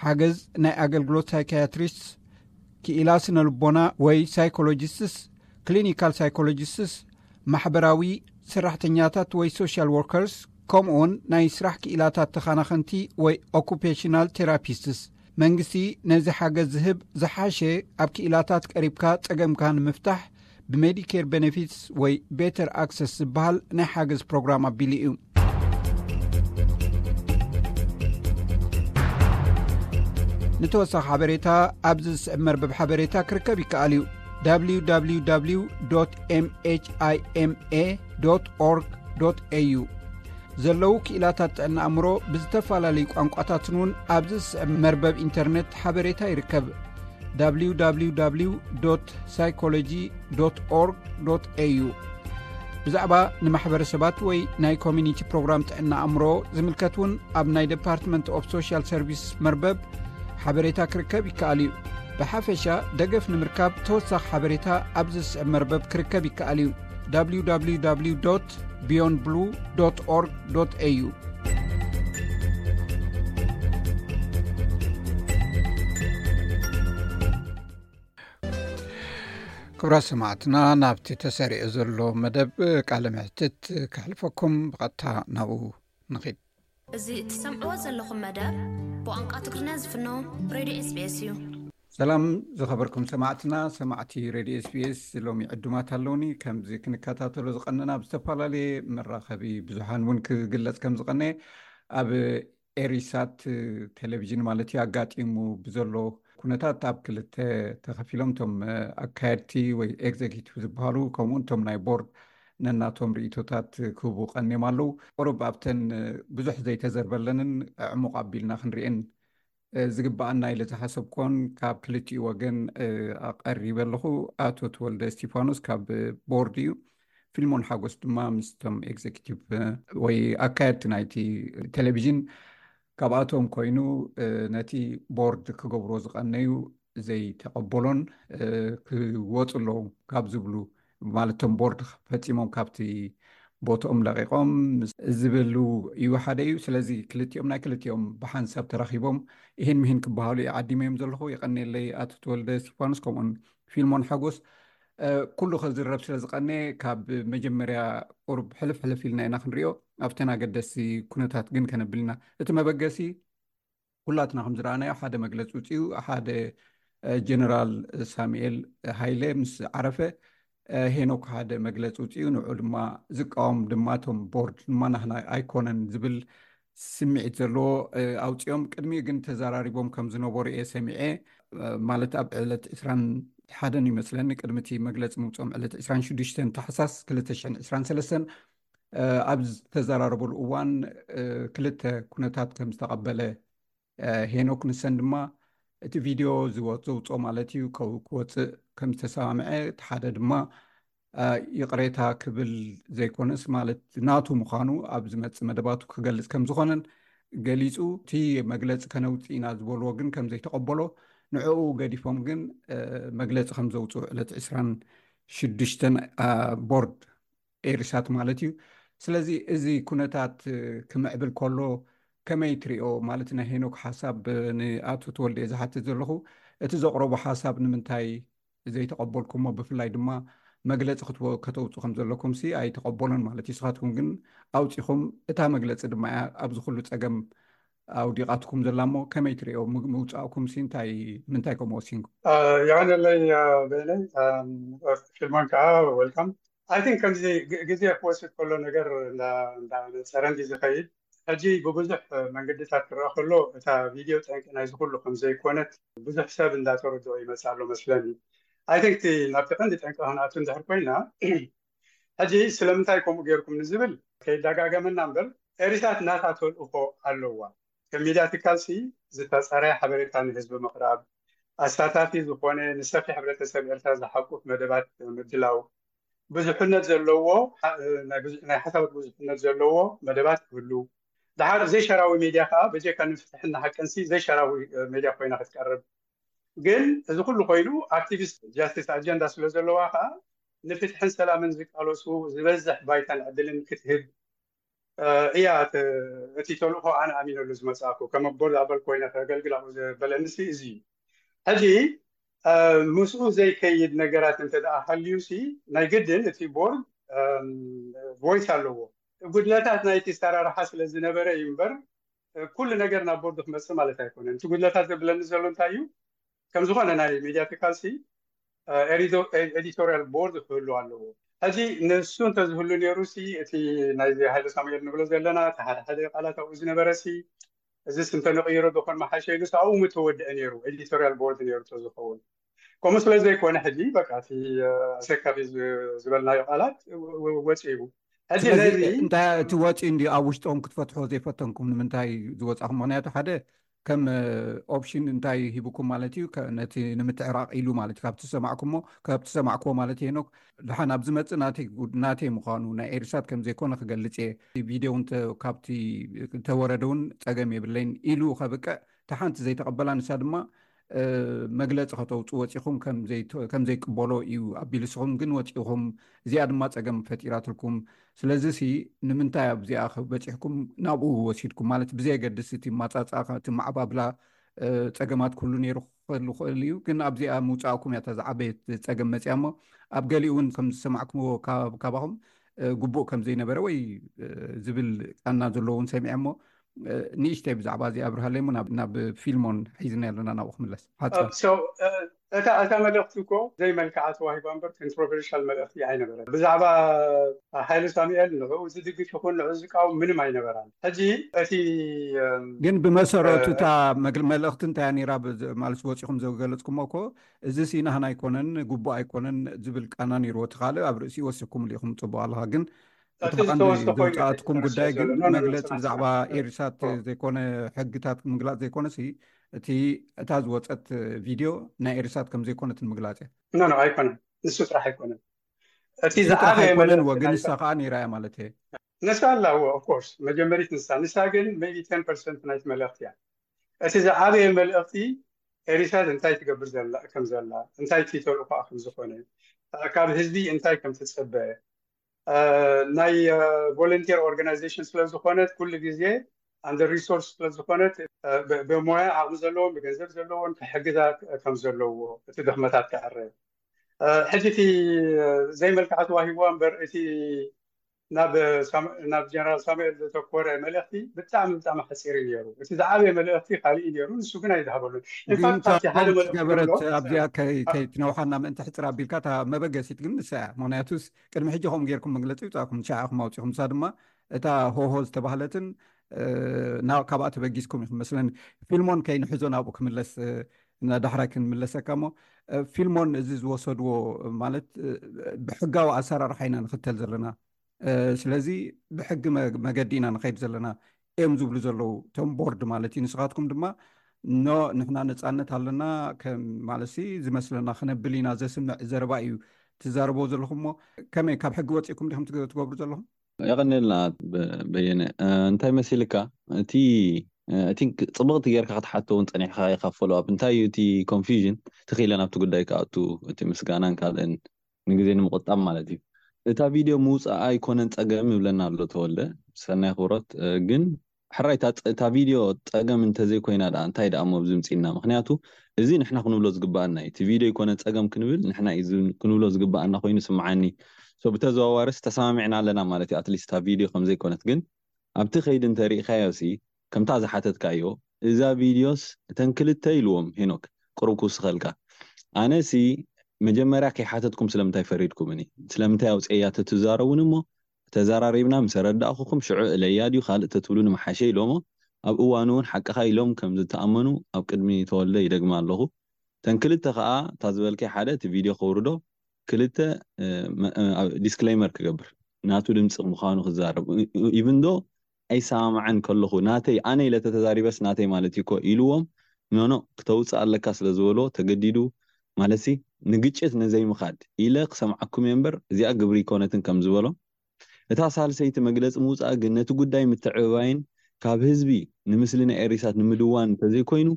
ሓገዝ ናይ ኣገልግሎት ሳይካያትሪስትስ፣ ክኢላ ስነ ልቦና ወይ ሳይኮሎጂስትስ፣ ክሊኒካል ሳይኮሎጂስትስ፣ ማሕበራዊ ሰራሕተኛታት ወይ ሶሻል ወርከርስ፣ ከምኡውን ናይ ስራሕ ክኢላታት ተኻናኸንቲ ወይ ኦኩፔሽናል ቴራፒስትስ። መንግስቲ ነዚ ሓገዝ ዝህብ ዝሓሸ፣ ኣብ ክኢላታት ቀሪብካ ጸገምካ ንምፍታሕ ብሜዲኬር ቤኔፊትስ ወይ ቤተር ኣክሰስ ዝበሃል ናይ ሓገዝ ፕሮግራም ኣቢሉ እዩ። ንተወሳኺ ሓበሬታ ኣብዚ ዝስዕብ መርበብ ሓበሬታ ክርከብ ይከኣል እዩ። www mhima org au። ዘለዉ ክኢላታት ጥዕና ኣእምሮ ብዝተፈላለዩ ቋንቋታትን እውን ኣብዚ ዝስዕብ መርበብ ኢንተርኔት ሓበሬታ ይርከብ። www psychology org au። ብዛዕባ ንማሕበረሰባት ወይ ናይ ኮሚኒቲ ፕሮግራም ጥዕና ኣእምሮ ዝምልከት እውን ኣብ ናይ ዴፓርትመንት ኦፍ ሶሻል ሰርቪስ መርበብ ሓበሬታ ክርከብ ይከኣል እዩ። ብሓፈሻ ደገፍ ንምርካብ ተወሳኺ ሓበሬታ ኣብዚ ዝስዕብ መርበብ ክርከብ ይከኣል እዩ። www beyond blue org au። ክቡራት ሰማዕትና፣ ናብቲ ተሰሪዑ ዘሎ መደብ ቃለ መሕትት ከሕልፈኩም፣ ብቐጥታ ናብኡ ንኺድ። እዚ እትሰምዕዎ ዘለኹም መደብ ብቋንቋ ትግርኛ ዝፍኖ ሬድዮ ኤስቢኤስ እዩ። ሰላም ዝኸበርኩም ሰማዕትና፣ ሰማዕቲ ሬድዮ ኤስቢኤስ፣ ሎሚ ዕዱማት ኣለውኒ። ከምዚ ክንከታተሎ ዝቐነና፣ ኣብ ዝተፈላለየ መራኸቢ ብዙሓን እውን ክግለጽ ከም ዝቐነየ፣ ኣብ ኤሪሳት ቴሌቪዥን ማለት እዩ፣ ኣጋጢሙ ብዘሎ ኩነታት ኣብ ክልተ ተኸፊሎም፣ እቶም ኣካየድቲ ወይ ኤግዜኪቲቭ ዝበሃሉ፣ ከምኡውን እቶም ናይ ቦርድ ነናቶም ርእይቶታት ክህቡ ቀንዮም ኣለዉ። ቁሩብ ኣብተን ብዙሕ ዘይተዘርበለንን ዕሙቕ ኣቢልና ክንርእየን ዝግብኣና ኢለ ዝሓሰብኮን ካብ ክልቲኡ ወገን ኣቐሪበ ኣለኹ። ኣቶ ተወልደ እስቲፋኖስ ካብ ቦርድ እዩ። ፊልሞን ሓጎስ ድማ ምስቶም ኤግዜኪቲቭ ወይ ኣካየድቲ ናይቲ ቴሌቪዥን ካብኣቶም ኮይኑ ነቲ ቦርድ ክገብርዎ ዝቐነዩ ዘይተቐበሎን ክወፁ ኣለዎም ካብ ዝብሉ ማለቶም ቦርድ ፈፂሞም ካብቲ ቦትኦም ለቒቖም ዝብሉ እዩ ሓደ እዩ። ስለዚ ክልቲኦም ናይ ክልቲኦም ብሓንሳብ ተራኺቦም ይህን ምሂን ክበሃሉ ይዓዲመ እዮም ዘለኹ። የቐኔለይ ኣቶ ተወልደ እስቲፋኖስ ከምኡን ፊልሞን ሓጎስ ኩሉ ከዝረብ ስለ ዝቐነ ካብ መጀመርያ ቁርብ ሕልፍ ሕልፍ ኢልና ኢና ክንሪኦ። ኣብተን ኣገደስቲ ኩነታት ግን ከነብል ኢና። እቲ መበገሲ ኩላትና ከም ዝረኣናዮ ሓደ መግለፂ ውፅኡ ሓደ ጀነራል ሳሙኤል ሃይለ ምስ ዓረፈ ሄኖክ ሓደ መግለፂ ውፅኡ ንዑ ድማ ዝቃወም ድማ እቶም ቦርድ ድማ ናህና ኣይኮነን ዝብል ስምዒት ዘለዎ ኣውፅኦም። ቅድሚኡ ግን ተዘራሪቦም ከም ዝነበሩ እየ ሰሚዐ። ማለት ኣብ ዕለት ዕስራን ሓደን ይመስለኒ ቅድሚ እቲ መግለፂ ምውፅኦም ዕለት ዕስራን ሽዱሽተን ታሕሳስ ክልተ ሽሕን ዕስራን ሰለስተን ኣብ ዝተዘራረበሉ እዋን ክልተ ኩነታት ከም ዝተቐበለ ሄኖክ ንሰን ድማ እቲ ቪድዮ ዘውፅኦ ማለት እዩ ክወፅእ ከም ዝተሰማምዐ፣ እቲ ሓደ ድማ ይቕሬታ ክብል ዘይኮነስ ማለት ናቱ ምዃኑ ኣብ ዝመፅእ መደባቱ ክገልፅ ከም ዝኾነን ገሊፁ። እቲ መግለፂ ከነውፅእ ኢና ዝበልዎ ግን ከም ዘይተቐበሎ ንዕኡ ገዲፎም ግን መግለፂ ከም ዘውፅኡ ዕለት ዕስራን ሽዱሽተን ቦርድ ኤሪሳት ማለት እዩ። ስለዚ እዚ ኩነታት ክምዕብል ከሎ ከመይ ትሪኦ ማለት ናይ ሄኖክ ሓሳብ ንኣቶ ተወልደ ዝሓትት ዘለኹ እቲ ዘቕረቦ ሓሳብ ንምንታይ ዘይተቐበልኩሞ ብፍላይ ድማ መግለፂ ከተውፁ ከም ዘለኩም ሲ ኣይተቐበሎን ማለት እዩ። ንስኻትኩም ግን ኣውፂኹም እታ መግለፂ ድማ እያ ኣብዚ ኩሉ ፀገም ኣውዲቓትኩም ዘላ እሞ ከመይ ትሪኦ ምውፃእኩም ሲ እንታይ ምንታይ ከምኡ ወሲንኩም? የቐነለይ በይነይ ፊልሞን ከዓ ወልካም። ኣይ ቲንክ ከምዚ ግዜ ክወስድ ከሎ ነገር እንዳነፀረ እንዲ ዝኸይድ ሕጂ ብብዙሕ መንገድታት ክረኣ ከሎ እታ ቪድዮ ጠንቂ ናይዚ ኩሉ ከም ዘይኮነት ብዙሕ ሰብ እንዳተረድኦ ይመፅእ ኣሎ መስለኒ። ኣይ ቲንክ ናብቲ ቀንዲ ጠንቂ ክንኣቱ እንድሕር ኮይና ሕጂ ስለምንታይ ከምኡ ገይርኩም ንዝብል ከይዳጋገመና እምበር ኤሪሳት ናታ ተልእኾ ኣለዋ። ከም ሚድያ ትካልሲ ዝተፀረ ሓበሬታ ንህዝቢ ምቕራብ፣ ኣሳታፊ ዝኾነ ንሰፊሕ ሕብረተሰብ ኤርትራ ዝሓቁፍ መደባት ምድላው፣ ብዙሕነት ዘለዎ ናይ ሓሳባት ብዙሕነት ዘለዎ መደባት ክህሉ፣ ደሓር ዘይሸራዊ ሜድያ ከዓ በጀካ ንፍትሕና ሓቅንሲ ዘይሸራዊ ሜድያ ኮይና ክትቀርብ። ግን እዚ ኩሉ ኮይኑ ኣክቲቪስት ጃስቲስ ኣጀንዳ ስለ ዘለዋ ከዓ ንፍትሕን ሰላምን ዝቃለሱ ዝበዝሕ ባይታን ዕድልን ክትህብ እያ እቲ ተልእኮ ኣነ ኣሚነሉ ዝመፅኣኩ ከም ኣቦል ኣበል ኮይነ ከገልግል ኣብኡ ዘበለንሲ እዚ እዩ። ሕጂ ምስኡ ዘይከይድ ነገራት እንተ ደኣ ሃልዩሲ ናይ ግድን እቲ ቦርድ ቮይስ ኣለዎ። ጉድለታት ናይቲ ኣሰራርሓ ስለ ዝነበረ እዩ እምበር ኩሉ ነገር ናብ ቦርድ ክመፅእ ማለት ኣይኮነን። እቲ ጉድለታት ዘብለኒ ዘሎ እንታይ እዩ? ከም ዝኾነ ናይ ሚድያ ትካልሲ ኤዲቶሪያል ቦርድ ክህሉ ኣለዎ። ሕጂ ንሱ እንተዝህሉ ነይሩ ሲ እቲ ናይ ሃይለ ሳሙኤል ንብሎ ዘለና እቲ ሓደ ሓደ ቃላት ኣብኡ ዝነበረ ሲ እዚ ስም ተነቕይሮ ዶ ኮን መሓሸ ኢሉ ኣብኡ ምተወድአ ነይሩ ኤዲቶሪያል ቦርድ ነይሩ ተዝኸውን። ከምኡ ስለ ዘይኮነ ሕጂ በቃ እቲ ኣሰካፊ ዝበልናዮ ቃላት ወፂኡ። ሕጂ ነዚ እንታይ እቲ ወፂኡ እንዲ ኣብ ውሽጦም ክትፈትሖ ዘይፈተንኩም ንምንታይ ዝወፃኹም? ምክንያቱ ሓደ ከም ኦፕሽን እንታይ ሂብኩም ማለት እዩ? ነቲ ንምትዕራቕ ኢሉ ማለት እዩ። ካብ ትሰማዕኩሞ ካብ ትሰማዕኩዎ ማለት ሄኖክ ድሓን ኣብ ዝመፅእ ናተይ ምዃኑ ናይ ኤሪሳት ከም ዘይኮነ ክገልፅ እየ። ቪድዮ እውን ካብቲ ተወረደ እውን ፀገም የብለይን ኢሉ ከብቅዕ እታ ሓንቲ ዘይተቐበላ ንሳ ድማ መግለፂ ከተውፅኡ ወፂኹም ከም ዘይቅበሎ እዩ ኣቢሉ። ንስኹም ግን ወፂኹም እዚኣ ድማ ፀገም ፈጢራትልኩም። ስለዚ ሲ ንምንታይ ኣብዚኣ በፂሕኩም ናብኡ ወሲድኩም ማለት ብዘየገድስ እቲ ማፃፃ እቲ ማዕባብላ ፀገማት ኩሉ ነይሩ ክህሉ ክእል እዩ። ግን ኣብዚኣ ምውፃእኩም እያ እታ ዝዓበየት ፀገም መፅያ እሞ ኣብ ገሊኡ እውን ከም ዝሰማዕኩምዎ ካባኹም ግቡእ ከም ዘይነበረ ወይ ዝብል ቃና ዘለዎ እውን ሰሚዐ እሞ ንእሽተይ ብዛዕባ እዚ ኣብርሃለይ እሞ ናብ ፊልሞን ሒዝና ኣለና ናብኡ ክምለስ ሓፃር እታ እታ መልእኽቲ እኮ ዘይመልክዓ ተዋሂባ እምበር፣ ኮንትሮቨርሻል መልእኽቲ ኣይነበረን። ብዛዕባ ሃይለ ሳሙኤል ንዕኡ ዝድግፍ ይኹን ንዕኡ ዝቃወም ምንም ኣይነበራን። ሕጂ እቲ እም፣ ግን ብመሰረቱ እ፣ እታ መግል- መልእኽቲ እንታይ ነይራ? ብዝ- ማለት ወፂኹም ዘገለፅኩሞ እኮ፣ እዚ ሲ ናህና ኣይኮነን፣ ግቡእ ኣይኮነን ዝብል ቃና ነይርዎ። እቲ ካልእ ኣብ ርእሲ ወሲኹምሉ ኢኹም፣ ፅቡቅ ኣለኻ። ግን እቲ እቲ ቀንዲ ዝተወስደ ኮይኑ ዘውፃእትኩም ተረስተ ጉዳይ ግን ዘሎ። ኖ፣ ኖ፣ ኖ፣ መግለፂ ጽናሕ፣ ብዛዕባ ጽናሕ። ኤሪሳት ኦ። ዘይኮነ፣ ሕግታት ምግላፅ ዘይኮነ ሲ፣ እቲ እታ ዝወፀት ቪድዮ ናይ ኤሪሳት ከም ዘይኮነት ንምግላፅ እያ። ኖ፣ ኖ፣ ኣይኮነን። ንሱ ጥራሕ ኣይኮነን። እቲ እሱ ጥራሕ ዝዓበየ ኣይኮነን መልእኽቲ ወግን ናይ ንሳ ከዓ ነይራ እያ ማለት እየ። ንሳ ኣላ፣ ኦፍ ኮርስ፣ መጀመሪት ንሳ። ንሳ ግን ሜቢ ቴን ፐርሰንት ናይቲ መልእኽቲ እያ። እቲ ዝዓበየ መልእኽቲ ኤሪሳት እንታይ ትገብር ዘላ፣ ከም ዘላ፣ እንታይ እቲ ተልእኾኣ ከም ዝኾነ፣ ካብ ህዝቢ እንታይ ከም ትጽበ፣ እ፣ ናይ፣ እ፣ ቮለንቲር ኦርጋናይዜሽን ስለ ዝኾነት፣ ኩሉ ግዜ ኣንደር ሪሶርስ ስለ ዝኾነት፣ እ፣ ብ-፣ ብሞያ ዓቕሚ ዘለዎም፣ ብገንዘብ ዘለዎም ክሕግዛ ከም ዘለዎ፣ እቲ ድኽመታት ክዕረ። እ፣ ሕጂ እቲ፣ እ፣ ዘይመልክዓ ተዋሂብዋ እምበር፣ እቲ ናብ ሳም-፣ ናብ ጀነራል ሳሙኤል ዘተኮረ መልእኽቲ ብጣዕሚ፣ ብጣዕሚ ሓፂር እዩ ነይሩ። እቲ ዝዓበየ መልእኽቲ ካልእ እዩ ነይሩ፣ ንሱ ግን ኣይዝሃበሉን። ግን ኢንፋክት እታ ኣብቲ ሓደ ፖይንት መልእኽቲ ዝገበረት ዝብሎ ኣብዚኣ ከይ-፣ ከይትነውሓና ምእንቲ ሕፅር ኣቢልካ፣ እታ መበገሲት ግን ንሳ እያ። ምክንያቱስ ቅድሚ ሕጂ ከምኡ ጌርኩም መግለፂ ይውፃእኩም፣ ንሻዕ ኢኹም ኣውፂኹም። ንሳ ድማ እታ ሆሆ ዝተባህለትን፣ እ፣ ናብ፣ ካብኣ ተበጊስኩም ኢኹም መስለኒ። ፊልሞን ከይንሕዞ ናብኡ ክምለስ፣ እ፣ ንዳሕራይ ክንምለሰካ እሞ፣ እ፣ ፊልሞን እዚ ዝወሰድዎ ማለት፣ እ፣ ብሕጋዊ ኣሰራርሓ ኢና ንኽተል ዘለና። እ፣ ስለዚ ብሕጊ መ-፣ መገዲ ኢና ንኸይድ ዘለና እዮም ዝብሉ ዘለዉ እቶም ቦርድ ማለት እዩ። ንስኻትኩም ድማ ኖ፣ ንሕና ነፃነት ኣለና፣ ከም ማለት ሲ ዝመስለና ክነብል ኢና፣ ዘስምዕ ዘረባ እዩ ትዛረብዎ ዘለኹም እሞ፣ ከመይ ካብ ሕጊ ወፂእኩም ዲኹም ትገ-፣ ትገብሩ ዘለኹም? የቐንየልና በ-፣ በየነ። እ፣ እንታይ መሲልካ? እቲ፣ እ፣ እቲ ጽብቕቲ ጌርካ ክትሓቶ እውን ጸኒሕካ ኢኻ ፎሎ ኣፕ። እንታይ እዩ እቲ ኮንፊውዥን? ትኽኢለ ናብቲ ጉዳይ ክኣቱ፣ እቲ ምስጋናን ካልእን ንግዜ ንምቑጣብ ማለት እዩ። እታ ቪድዮ ምውጻኣ ኣይኮነን ጸገም ይብለና ኣሎ ተወልደ። ሰናይ ክብሮት፣ እ፣ ግን ሕራይ እታ ጸ-፣ እታ ቪድዮ ጸገም እንተዘይኮይና ደኣ እንታይ ደኣ እሞ ኣብዚ ምጺእና? ምኽንያቱ እዚ ንሕና ክንብሎ ዝግባኣና እዩ። እቲ ቪድዮ ኣይኮነን ጸገም ክንብል ንሕና እዩ ዝ-፣ ክንብሎ ዝግባኣና ኮይኑ ስምዓኒ። ሶ ብተዘዋዋርስ ተሰማሚዕና ኣለና ማለት እዩ። ኣትሊስት እታ ቪድዮ ከም ዘይኮነት ግን ኣብቲ ከይዲ እንተሪእካዮ ሲ ከምታ ዝሓተትካዮ እዛ ቪድዮስ እተን ክልተ ኢልዎም ሄኖክ ቅሩብ ክውስኸልካ። ኣነ ሲ መጀመርያ ከይሓተትኩም ስለምንታይ ፈሪድኩምኒ? ስለምንታይ ኣውፅኤያ ተትዛረቡን እሞ ተዘራሪብና ምስ ኣረዳእኹኹም ሽዑ እለያ ድዩ ካልእ ተትብሉኒ ምሓሸ ኢሎሞ ኣብ እዋኑ እውን ሓቅኻ ኢሎም ከም ዝተኣመኑ ኣብ ቅድሚ ተወልደ ይደግማ ኣለኹ። ተን ክልተ ከዓ እታ ዝበልከይ ሓደ እቲ ቪድዮ ከውርዶ ክልተ እ፣ መ-፣ እ፣ ኣብ ዲስክሌመር ክገብር ናቱ ድምፂ ምዃኑ ክዛረብ ኢቭን ዶ ኣይሰማማዕን ከለኹ ናተይ ኣነ ኢለ ተተዛሪበስ ናተይ ማለት እዩ እኮ ኢልዎም ኖኖ ክተውፅእ ኣለካ ስለ ዝበሎ ተገዲዱ ማለት ሲ ንግጭት ነዘይምኻድ ኢለ ክሰምዓኩም እየ እምበር እዚኣ ግብሪ ይኮነትን ከም ዝበሎ እታ ሳልሰይቲ መግለፂ ምውፃእ ግን ነቲ ጉዳይ ምትዕብባይን ካብ ህዝቢ ንምስሊ ናይ ኤሪሳት ንምድዋን እንተዘይኮይኑ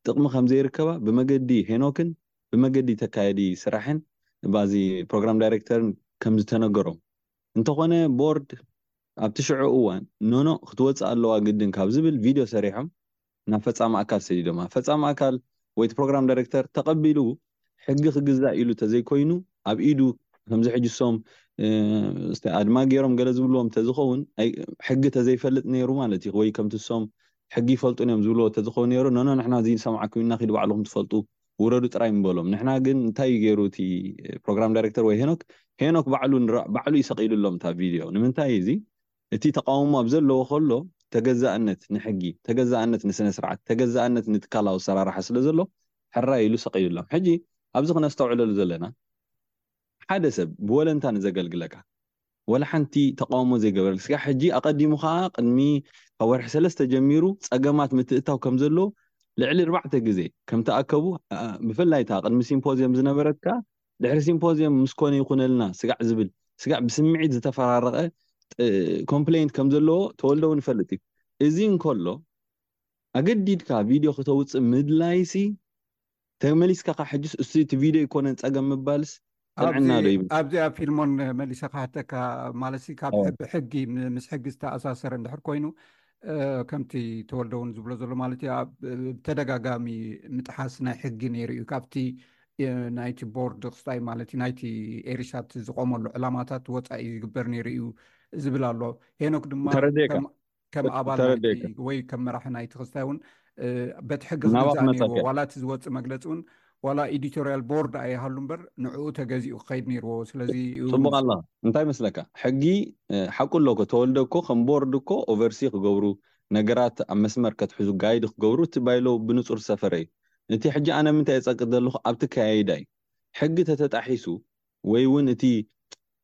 ጥቕሚ ከም ዘይርከባ ብመገዲ ሄኖክን ብመገዲ ተካየዲ ስራሕን ባዚ ፕሮግራም ዳይሬክተርን ከም ዝተነገሮም እንተኾነ ቦርድ ኣብቲ ሽዑ እዋን ኖኖ ክትወፅእ ኣለዋ ግድን ካብ ዝብል ቪድዮ ሰሪሖም ናብ ፈፃሚ ኣካል ሰዲዶማ። ፈፃሚ ኣካል ወይ እቲ ፕሮግራም ዳይሬክተር ተቐቢሉ ሕጊ ክግዛእ ኢሉ ተዘይኮይኑ ኣብ ኢዱ ከምዚ ሕጂ ሶም እ፣ እስቲ ኣድማ ገይሮም ገለ ዝብልዎም ተዝኸውን ኣይ- ሕጊ ተዘይፈልጥ ነይሩ ማለት እዩ ወይ ከምቲ ሶም ሕጊ ይፈልጡ እዮም ዝብልዎ ተዝኸውን ነይሩ ኖኖ ንሕና እዚ ንሰምዓኩም ኢና ኪዱ ባዕልኹም ትፈልጡ ውረዱ ጥራይ ምበሎም። ንሕና ግን እንታይ እዩ ገይሩ እቲ ፕሮግራም ዳይሬክተር ወይ ሄኖክ ሄኖክ ባዕሉ ንራ- ባዕሉ እዩ ሰቒሉሎም እታ ቪድዮ። ንምንታይ እዚ እቲ ተቃውሞ ኣብ ዘለዎ ከሎ ተገዛእነት ንሕጊ፣ ተገዛእነት ንስነ ስርዓት፣ ተገዛእነት ንትካላዊ ኣሰራርሓ ስለ ዘሎ ሕራይ ኢሉ ሰቒሉሎም። ሕጂ ኣብዚ ክነስተውዕለሉ ዘለና ሓደ ሰብ ብወለንታ ንዘገልግለካ ወላ ሓንቲ ተቃውሞ ዘይገበረልካ ስጋዕ ሕጂ ኣቐዲሙ ከዓ ቅድሚ ካብ ወርሒ ሰለስተ ጀሚሩ ፀገማት ምትእታው ከም ዘለዎ ልዕሊ ኣርባዕተ ግዜ ከም ተኣከቡ ኣ- ብፍላይ እታ ቅድሚ ሲምፖዝየም ዝነበረት ከዓ ድሕሪ ሲምፖዝየም ምስ ኮነ ይኹነልና ስጋዕ ዝብል ስጋዕ ብስምዒት ዝተፈራረቐ ጥ- ኮምፕሌንት ከም ዘለዎ ተወልደ እውን ይፈልጥ እዩ። እዚ እንከሎ ኣገዲድካ ቪድዮ ክተውፅእ ምድላይሲ ተመሊስካ ካ ሕጅስ እሱ እቲ ቪድዮ ኣይኮነን ፀገም ምባልስ ጥዕና ዶ ይብል? ኣብዚኣ ፊልሞን መሊሰ ክሓተካ ማለት ሲ ካብ ኦ። ሕጊ ሕጊ ም- ምስ ሕጊ ዝተኣሳሰረ እንድሕር ኮይኑ እ፣ ከምቲ ተወልደ እውን ዝብሎ ዘሎ ማለት እዩ ኣብ ብተደጋጋሚ ምጥሓስ ናይ ሕጊ ነይሩ እዩ ካብቲ እ፣ ናይቲ ቦርድ ክስታይ ማለት እዩ ናይቲ ኤሪሳት ዝቆመሉ ዕላማታት ወፃኢ ዝግበር ነይሩ እዩ ዝብል ኣሎ። ሄኖክ ድማ ተረዲእካ። ከም ከም ኣባል ተረዲእካ። ናይቲ ወይ ከም መራሒ ናይቲ ክስታይ እውን እ፣ በቲ ሕጊ ናባኹ ክግዛእ ነይርዎ መጻእካ። ዋላ እቲ ዝወፅእ መግለፂ እውን ዋላ ኤዲቶሪያል ቦርድ ኣይሃሉ እምበር ንዕኡ ተገዚኡ ክኸይድ ነይርዎ። ስለዚ እዩ ጽቡቕ ኣላ። እንታይ መስለካ? ሕጊ፣ እ፣ ሓቁ ኣሎ እኮ። ተወልደ እኮ ከም ቦርድ እኮ ኦቨርሲ ክገብሩ፣ ነገራት ኣብ መስመር ከትሕዙ፣ ጋይድ ክገብሩ እቲ ባይሎ ብንጹር ዝሰፈረ እዩ። እቲ ሕጂ ኣነ ምንታይ የጸቅጥ ዘለኹ ኣብቲ ከያይዳ እዩ። ሕጊ ተተጣሒሱ ወይ እውን እቲ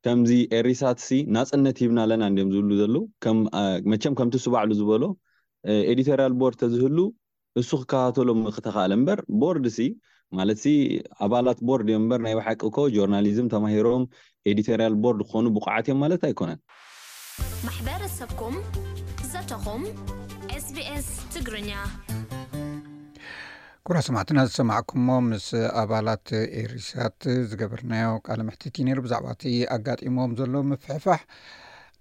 ከምዚ ኤሪሳትሲ ናጽነት ሂብና ኣለና እንዲዮም ዝብሉ ዘለዉ። ከም፣ እ፣ መቸም ከምቲ እሱ ባዕሉ ዝበሎ፣ እ፣ ኤዲቶሪያል ቦርድ ተዝህሉ እሱ ክከታተሎም ምክተኻእለ እምበር፣ ቦርድ ሲ ማለት ሲ ኣባላት ቦርድ እዮም እምበር፣ ናይ ብሓቂ እኮ ጆርናሊዝም ተማሂሮም ኤዲቶሪያል ቦርድ ክኾኑ ብቑዓት እዮም ማለት ኣይኮነን። ማሕበረሰብኩም ዘተኹም SBS ትግርኛ። ኩራ ሰማዕትና ዝሰማዕኩሞ ምስ ኣባላት ኤሪሳት ዝገበርናዮ ቃለ መሕትት እዩ ነይሩ። ብዛዕባ እቲ ኣጋጢሞም ዘሎ ምፍሕፋሕ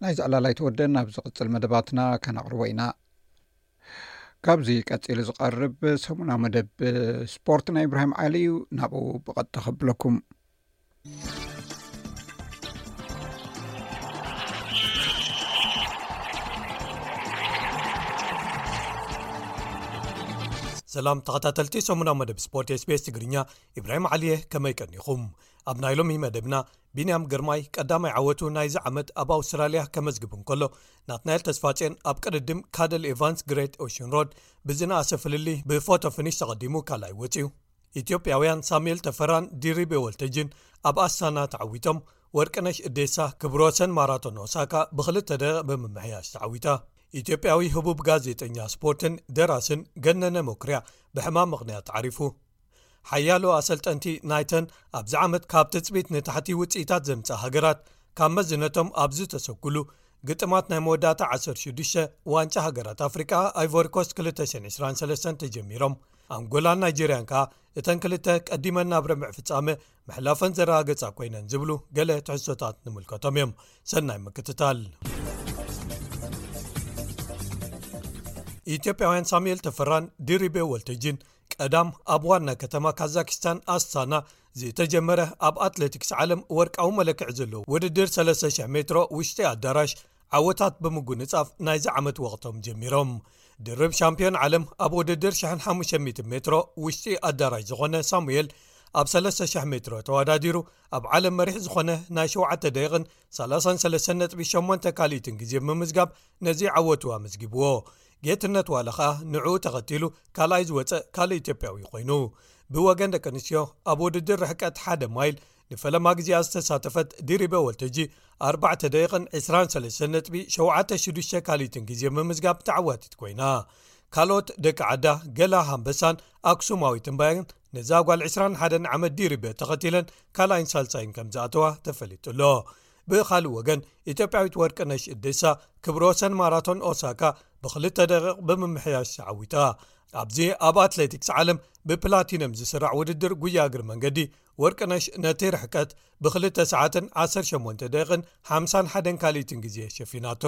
ናይዚ ዕላል ኣይተወደን። ኣብ ዝቕጽል መደባትና ከነቕርቦ ኢና። ካብዚ ቀጺሉ ዝቐርብ ሰሙናዊ መደብ ስፖርት ናይ ኢብራሂም ዓሊ እዩ። ናብኡ ብቐጥታ ከብለኩም። ሰላም ተኸታተልቲ ሰሙናዊ መደብ ስፖርት SBS ትግርኛ፣ ኢብራሂም ዓሊየ፣ ከመይ ቀኒኹም? ኣብ ናይ ሎሚ መደብና ቢንያም ግርማይ ቀዳማይ ዓወቱ ናይዚ ዓመት ኣብ ኣውስትራልያ ከመዝግብ እንከሎ፣ ናትናኤል ተስፋጼን ኣብ ቅድድም ካደል ኤቫንስ ግሬት ኦሽን ሮድ ብዝነኣሰ ፍልልይ ብፎቶ ፊኒሽ ተቐዲሙ ካልኣይ ወጺኡ። ኢትዮጵያውያን ሳሙኤል ተፈራን ዲሪቤ ወልተጅን ኣብ ኣስታና ተዓዊቶም። ወርቅነሽ እዴሳ ክብረ ወሰን ማራቶን ኦሳካ ብኽልተ ደቂቕ ብምምሕያሽ ተዓዊታ። ኢትዮጵያዊ ህቡብ ጋዜጠኛ ስፖርትን ደራስን ገነነ መኩርያ ብሕማም ምኽንያት ዓሪፉ። ሓያሎ ኣሰልጠንቲ ናይተን ኣብዚ ዓመት ካብ ትጽቢት ንታሕቲ ውጽኢታት ዘምጽኣ ሃገራት ካብ መዝነቶም ኣብ ዝተሰጉሉ ግጥማት ናይ መወዳእታ ዓሰርተ ሽዱሽተ ዋንጫ ሃገራት ኣፍሪቃ ኣይቮሪኮስት ክልተ ሽሕን ዕስራን ሰለስተን ተጀሚሮም። ኣንጎላን ናይጀርያን ከኣ እተን ክልተ ቀዲመን ናብ ርብዒ ፍጻመ ምሕላፈን ዘረጋገጻ ኮይነን ዝብሉ ገለ ትሕዝቶታት ንምልከቶም እዮም። ሰናይ ምክትታል። ኢትዮጵያውያን ሳሙኤል ተፈራን ድሪቤ ወልተጅን ቀዳም ኣብ ዋና ከተማ ካዛኪስታን ኣስታና ዝተጀመረ ኣብ ኣትሌቲክስ ዓለም ወርቃዊ መለክዒ ዘለዎ ውድድር ሰለስተ ሽሕ ሜትሮ ውሽጢ ኣዳራሽ ዓወታት ብምጉንጻፍ ናይዚ ዓመት ወቕቶም ጀሚሮም። ድርብ ሻምፒዮን ዓለም ኣብ ውድድር ሽሕን ሓሙሽተ ሚእትን ሜትሮ ውሽጢ ኣዳራሽ ዝኾነ ሳሙኤል ኣብ ሰለስተ ሽሕ ሜትሮ ተወዳዲሩ ኣብ ዓለም መሪሕ ዝኾነ ናይ ሸውዓተ ደቂቕን ሰላሳን ሰለስተን ነጥቢ ሸሞንተ ካልኢትን ግዜ ብምምዝጋብ ነዚ ዓወቱ ኣመዝጊብዎ። ጌትነት ዋለ ኸኣ ንዕኡ ተኸቲሉ ካልኣይ ዝወጸ ካልእ ኢትዮጵያዊ ኮይኑ። ብወገን ደቂ ኣንስትዮ ኣብ ውድድር ርሕቀት ሓደ ማይል ንፈለማ ግዜኣ ዝተሳተፈት ድሪበ ወልተጂ ኣርባዕተ ደቂቕን ዕስራን ሰለስተን ነጥቢ ሸውዓተ ሽዱሽተ ካልኢትን ግዜ ብምምዝጋብ ተዓዋቲት ኮይና። ካልኦት ደቂ ዓዳ ገላ ሃምበሳን ኣክሱማዊት እምባያን ነዛ ጓል ዕስራን ሓደን ዓመት ድሪበ ተኸቲለን ካልኣይን ሳልሳይን ከም ዝኣተዋ ተፈሊጡ ኣሎ። ብኻልእ ወገን ኢትዮጵያዊት ወርቅነሽ እዴሳ ክብረ ወሰን ማራቶን ኦሳካ ብክልተ ደቂቕ ብምምሕያሽ ተዓዊታ። ኣብዚ ኣብ ኣትሌቲክስ ዓለም ብፕላቲነም ዝስራዕ ውድድር ጉያ እግሪ መንገዲ ወርቅነሽ ነቲ ርሕቀት ብክልተ ሰዓትን ዓሰርተ ሸሞንተ ደቂቕን ሓምሳን ሓደን ካልኢትን ግዜ ሸፊናቶ።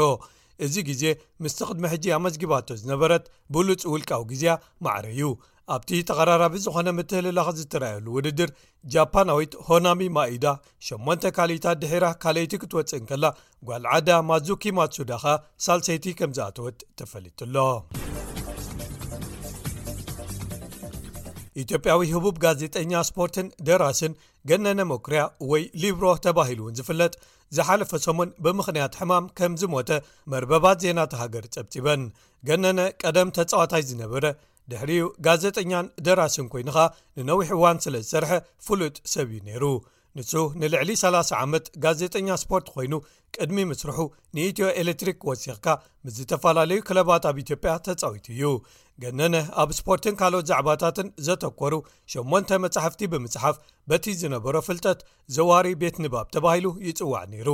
እዚ ግዜ ምስቲ ቅድሚ ሕጂ ኣመዝጊባቶ ዝነበረት ብሉጽ ውልቃዊ ግዜያ ማዕረ እዩ። ኣብቲ ተቐራራቢ ዝኾነ ምትህልላኽ ዝተረኣየሉ ውድድር ጃፓናዊት ሆናሚ ማኢዳ ሸሞንተ ካልኢታት ድሒራ ካልኣይቲ ክትወጽእ እንከላ፣ ጓል ዓዳ ማዙኪ ማትሱዳ ኸኣ ሳልሰይቲ ከም ዝኣተወት ተፈሊጡ ኣሎ። ኢትዮጵያዊ ህቡብ ጋዜጠኛ ስፖርትን ደራስን ገነነ መኩርያ ወይ ሊብሮ ተባሂሉ እውን ዝፍለጥ ዝሓለፈ ሰሙን ብምኽንያት ሕማም ከም ዝሞተ መርበባት ዜና እታ ሃገር ጸብጺበን። ገነነ ቀደም ተጻዋታይ ዝነበረ ድሕሪኡ ጋዜጠኛን ደራስን ኮይኑ ኸኣ ንነዊሕ እዋን ስለ ዝሰርሐ ፍሉጥ ሰብ እዩ ነይሩ። ንሱ ንልዕሊ ሰላሳ ዓመት ጋዜጠኛ ስፖርት ኮይኑ ቅድሚ ምስርሑ ንኢትዮ ኤሌክትሪክ ወሲኽካ ምስ ዝተፈላለዩ ክለባት ኣብ ኢትዮጵያ ተጻዊቱ እዩ። ገነነ ኣብ ስፖርትን ካልኦት ዛዕባታትን ዘተኮሩ ሸሞንተ መጻሕፍቲ ብምጽሓፍ በቲ ዝነበሮ ፍልጠት ዘዋሪ ቤት ንባብ ተባሂሉ ይጽዋዕ ነይሩ።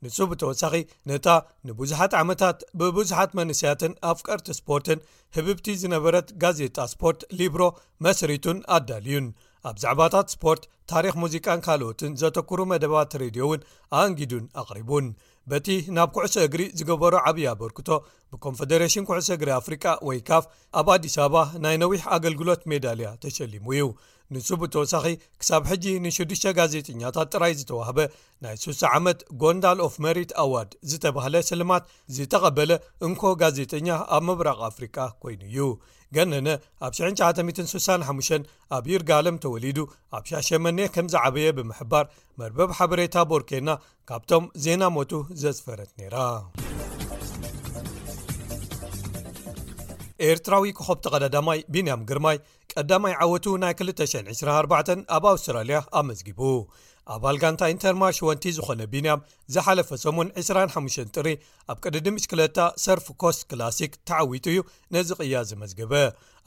ንሱ ብተወሳኺ ነታ ንብዙሓት ዓመታት ብብዙሓት መንእሰያትን ኣፍቀርቲ ስፖርትን ህብብቲ ዝነበረት ጋዜጣ ስፖርት ሊብሮ መስሪቱን ኣዳልዩን። ኣብ ዛዕባታት ስፖርት፣ ታሪኽ ሙዚቃን ካልኦትን ዘተኩሩ መደባት ሬድዮ እውን ኣንጊዱን ኣቕሪቡን። በቲ ናብ ኩዕሶ እግሪ ዝገበሮ ዓብዪ ኣበርክቶ ብኮንፈደሬሽን ኩዕሶ እግሪ ኣፍሪቃ ወይ ካፍ ኣብ ኣዲስ ኣበባ ናይ ነዊሕ ኣገልግሎት ሜዳልያ ተሸሊሙ እዩ። ንሱ ብተወሳኺ ክሳብ ሕጂ ንሽዱሽተ ጋዜጠኛታት ጥራይ ዝተዋህበ ናይ ሱሳ ዓመት ጎንዳል ኦፍ መሪት ኣዋርድ ዝተባህለ ስልማት ዝተቐበለ እንኮ ጋዜጠኛ ኣብ ምብራቕ ኣፍሪቃ ኮይኑ እዩ። ገነነ ኣብ ሽሕን ትሽዓተ ሚእትን ስሳን ሓሙሽተን ኣብ ይርጋለም ተወሊዱ ኣብ ሻሸመኔ ከም ዝዓበየ ብምሕባር፣ መርበብ ሓበሬታ ቦርኬና ካብቶም ዜና ሞቱ ዘስፈረት ነይራ። ኤርትራዊ ኮኸብ ተቐዳዳማይ ቢንያም ግርማይ ቀዳማይ ዓወቱ ናይ ክልተ ሽሕን ዕስራን ኣርባዕተን ኣብ ኣውስትራልያ ኣመዝጊቡ። ኣባል ጋንታ ኢንተርማሽ ወንቲ ዝኾነ ቢንያም ዝሓለፈ ሰሙን ዕስራን ሓሙሽተን ጥሪ ኣብ ቅድድም ብሽክለታ ሰርፍ ኮስት ክላሲክ ተዓዊቱ እዩ ነዚ ቅያ ዘመዝገበ።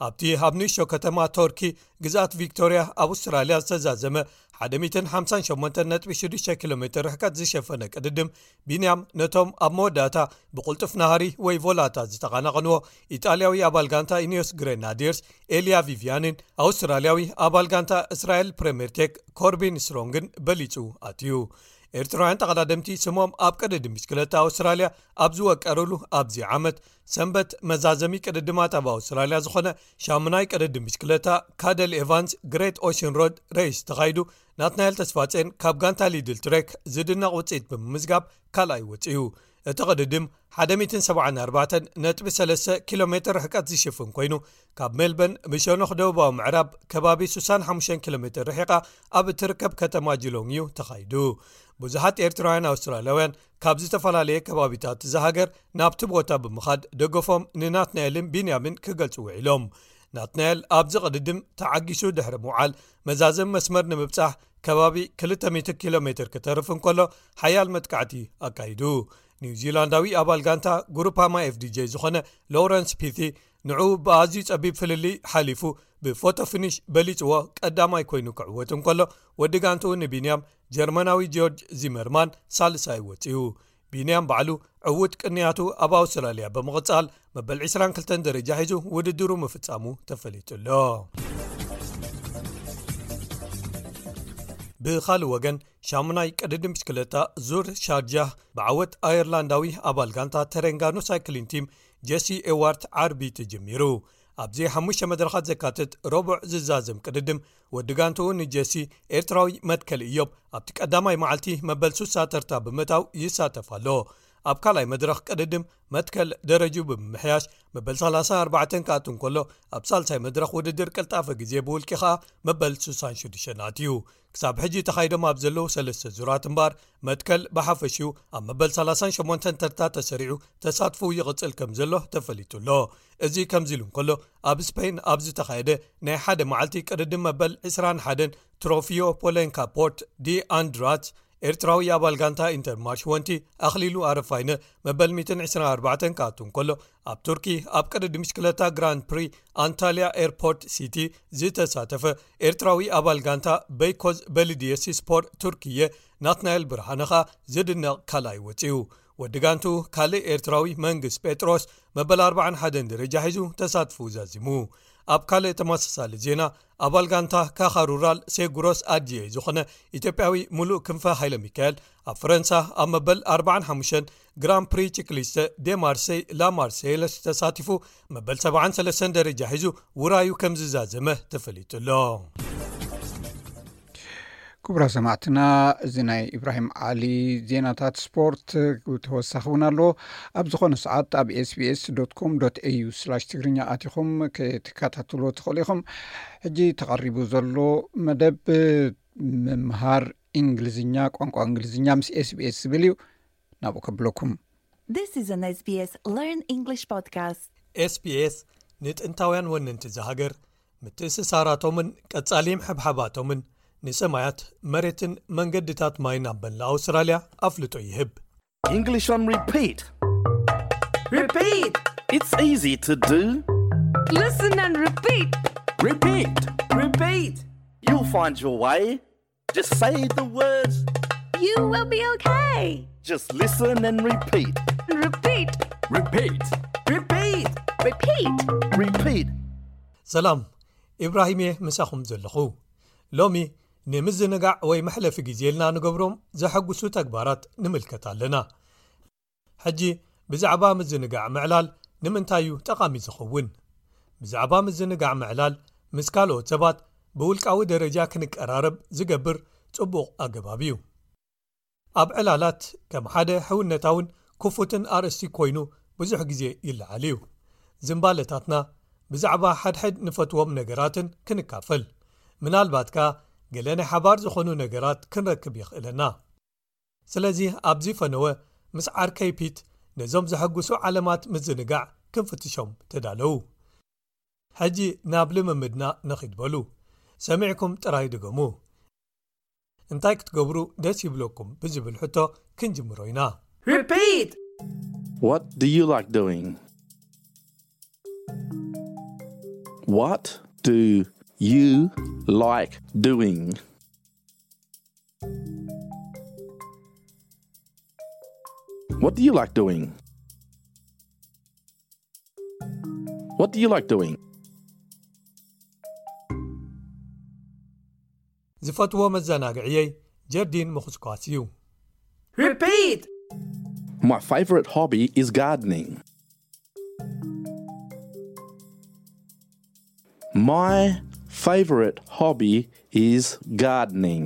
ኣብቲ ኣብ ንእሽቶ ከተማ ቶርኪ ግዝኣት ቪክቶርያ ኣብ ኣውስትራልያ ዝተዛዘመ ሓደ ሚእትን ሓምሳን ሸሞንተን ነጥቢ ሽዱሽተ ኪሎ ሜትር ርሕቀት ዝሸፈነ ቅድድም፣ ቢንያም ነቶም ኣብ መወዳእታ ብቕልጡፍ ናህሪ ወይ ቮላታ ዝተቐናቐንዎ ኢጣልያዊ ኣባል ጋንታ ኢኒዮስ ግሬናዲየርስ ኤልያ ቪቪያንን ኣውስትራልያዊ ኣባል ጋንታ እስራኤል ፕሬምየር ቴክ ኮርቢን ስትሮንግን በሊጹ ኣትዩ። ኤርትራውያን ተቐዳደምቲ ስሞም ኣብ ቅድድም ብሽክለታ ኣውስትራልያ ኣብ ዝወቀሩሉ ኣብዚ ዓመት ሰንበት መዛዘሚ ቅድድማት ኣብ ኣውስትራልያ ዝኾነ ሻሙናይ ቅድድም ብሽክለታ ካደል ኤቫንስ ግሬት ኦሽን ሮድ ሬስ ተኻይዱ፣ ናትናኤል ተስፋጼን ካብ ጋንታ ሊድል ትሬክ ዝድነቕ ውጽኢት ብምምዝጋብ ካልኣይ ወጺኡ። እቲ ቅድድም ሓደ ሚእትን ሰብዓን ኣርባዕተን ነጥቢ ሰለስተ ኪሎ ሜትር ርሕቀት ዝሽፍን ኮይኑ፣ ካብ ሜልበርን ብሸነኽ ደቡባዊ ምዕራብ ከባቢ ስሳን ሓሙሽተን ኪሎ ሜትር ርሒቓ ኣብ እትርከብ ከተማ ጂሎንግ እዩ ተኻይዱ። ብዙሓት ኤርትራውያን ኣውስትራልያውያን ካብ ዝተፈላለየ ከባቢታት እዛ ሃገር ናብቲ ቦታ ብምኻድ ደገፎም ንናትናኤልን ቢንያምን ክገልጹ ውዒሎም። ናትናኤል ኣብዚ ቅድድም ተዓጊሱ ድሕሪ ምውዓል፣ መዛዘም መስመር ንምብጻሕ ከባቢ ክልተ ሚእቲ ኪሎ ሜትር ክተርፍ እንከሎ፣ ሓያል መጥቃዕቲ ኣካይዱ። ኒውዚላንዳዊ ኣባል ጋንታ ጉሩፓማ ኤፍዲጄ ዝኾነ ሎረንስ ፒቲ ንዕኡ ብኣዝዩ ጸቢብ ፍልልይ ሓሊፉ ብፎቶ ፊኒሽ በሊጽዎ ቀዳማይ ኮይኑ ክዕወት እንከሎ፣ ወዲ ጋንትኡ ንቢንያም ጀርመናዊ ጆርጅ ዚመርማን ሳልሳይ ወጺኡ። ቢንያም ባዕሉ ዕዉት ቅንያቱ ኣብ ኣውስትራልያ ብምቕጻል መበል ዕስራን ክልተን ደረጃ ሒዙ ውድድሩ ምፍጻሙ ተፈሊጡ ኣሎ። ብኻልእ ወገን ሻሙናይ ቅድድም ብሽክለታ ዙር ሻርጃህ ብዓወት ኣየርላንዳዊ ኣባል ጋንታ ተሬንጋኖ ሳይክሊን ቲም ጀሲ ኤዋርት ዓርቢ ተጀሚሩ። ኣብዚ ሓሙሽተ መድረኻት ዘካትት ረቡዕ ዝዛዘም ቅድድም ወዲ ጋንትኡ ንጀሲ ኤርትራዊ መትከል እዮብ ኣብቲ ቀዳማይ መዓልቲ መበል ሱሳ ተርታ ብምእታው ይሳተፍ ኣሎ። ኣብ ካልኣይ መድረኽ ቅድድም መትከል ደረጅኡ ብምምሕያሽ መበል ሰላሳን ኣርባዕተን ክኣቱ እንከሎ፣ ኣብ ሳልሳይ መድረኽ ውድድር ቅልጣፈ ግዜ ብውልቂ ኸኣ መበል ስሳን ሽዱሽተን ኣትዩ። ክሳብ ሕጂ ተኻይዶም ኣብ ዘለዉ ሰለስተ ዙራት እምበኣር መትከል ብሓፈሽኡ ኣብ መበል ሰላሳን ሸሞንተን ተርታ ተሰሪዑ ተሳትፎኡ ይቕጽል ከም ዘሎ ተፈሊጡ ኣሎ። እዚ ከምዚ ኢሉ እንከሎ፣ ኣብ ስፔን ኣብ ዝተኻየደ ናይ ሓደ መዓልቲ ቅድድም መበል ዕስራን ሓደን ትሮፊዮ ፖሌንካ ፖርት ዲ ኣንድራት ኤርትራዊ ኣባል ጋንታ ኢንተር ማርሽ ወንቲ ኣኽሊሉ ኣረፋይነ መበል ሚእትን ዕስራን ኣርባዕተን ክኣቱ እንከሎ፣ ኣብ ቱርኪ ኣብ ቅድድም ብሽክለታ ግራንድ ፕሪ ኣንታልያ ኤርፖርት ሲቲ ዝተሳተፈ ኤርትራዊ ኣባል ጋንታ በይኮዝ በልድየሲ ስፖርት ቱርክየ ናትናኤል ብርሃነ ኸኣ ዝድነቕ ካልኣይ ወጺኡ። ወዲ ጋንቱ ካልእ ኤርትራዊ መንግስ ጴጥሮስ መበል ኣርባዓን ሓደን ደረጃ ሒዙ ተሳትፎኡ ዛዚሙ። ኣብ ካልእ ተመሳሳሊ ዜና፣ ኣባል ጋንታ ካኻ ሩራል ሴጉሮስ ኣድዬ ዝኾነ ኢትዮጵያዊ ሙሉእ ክንፈ ሃይለ ሚካኤል ኣብ ፈረንሳ ኣብ መበል ኣርባዓን ሓሙሽተን ግራን ፕሪ ቺክሊስተ ዴ ማርሴይ ላ ማርሴይለስ ተሳቲፉ መበል ሰብዓን ሰለስተን ደረጃ ሒዙ ውራዩ ከም ዝዛዘመ ተፈሊጡ ኣሎ። ክቡራ ሰማዕትና፣ እዚ ናይ ኢብራሂም ዓሊ ዜናታት ስፖርት ተወሳኺ እውን ኣሎ። ኣብ ዝኾነ ሰዓት ኣብ ኤስቢኤስ ዶት ኮም ዶት ኤዩ ስላሽ ትግርኛ ኣቲኹም ክትከታተልዎ ትኽእሉ ኢኹም። ሕጂ ተቐሪቡ ዘሎ መደብ ምምሃር እንግሊዝኛ፣ ቋንቋ እንግሊዝኛ ምስ ኤስቢኤስ ዝብል እዩ። ናብኡ ከብለኩም። This is an SBS Learn English podcast. ኤስቢኤስ ንጥንታውያን ወነንቲ እዛ ሃገር ምትእስሳራቶምን ቀጻሊ ምሕብሓባቶምን ንሰማያት፣ መሬትን መንገድታት ማይን ኣብ መላእ ኣውስትራልያ ኣፍልጦ ይህብ። English on repeat. Repeat. It's easy to do. Listen and repeat. Repeat. Repeat. You'll find your way. Just say the words. You will be okay. Just listen and repeat. Repeat. Repeat. Repeat. Repeat. Repeat. ሰላም፣ ኢብራሂም እየ ምሳኹም ዘለኹ። ሎሚ ንምዝንጋዕ ወይ መሕለፊ ግዜ ኢልና ንገብሮም ዘሐጉሱ ተግባራት ንምልከት ኣለና። ሕጂ ብዛዕባ ምዝንጋዕ ምዕላል ንምንታይ እዩ ጠቓሚ ዝኸውን? ብዛዕባ ምዝንጋዕ ምዕላል ምስ ካልኦት ሰባት ብውልቃዊ ደረጃ ክንቀራረብ ዝገብር ጽቡቕ ኣገባብ እዩ። ኣብ ዕላላት ከም ሓደ ሕውነታውን ክፉትን ኣርእስቲ ኮይኑ ብዙሕ ግዜ ይለዓል እዩ። ዝንባለታትና ብዛዕባ ሓድሕድ ንፈትዎም ነገራትን ክንካፈል፣ ምናልባት ከኣ ገለ ናይ ሓባር ዝኾኑ ነገራት ክንረክብ የኽእለና። ስለዚ ኣብዚ ፈነወ ምስ ዓርከይ ፒት ነዞም ዘሐጉሱ ዓለማት ምዝንጋዕ ክንፍትሾም ተዳለዉ። ሕጂ ናብ ልምምድና ንኺድ በሉ። ሰሚዕኩም ጥራይ ድገሙ። እንታይ ክትገብሩ ደስ ይብለኩም ብዝብል ሕቶ ክንጅምሮ ኢና። Repeat! What do you like doing? What do you like doing? What do you like doing? What do you like doing? ዝፈትዎ መዘናግዕየይ ጀርዲን ምኹስኳስ እዩ። Repeat! My favorite hobby is gardening. My favorite hobby is gardening.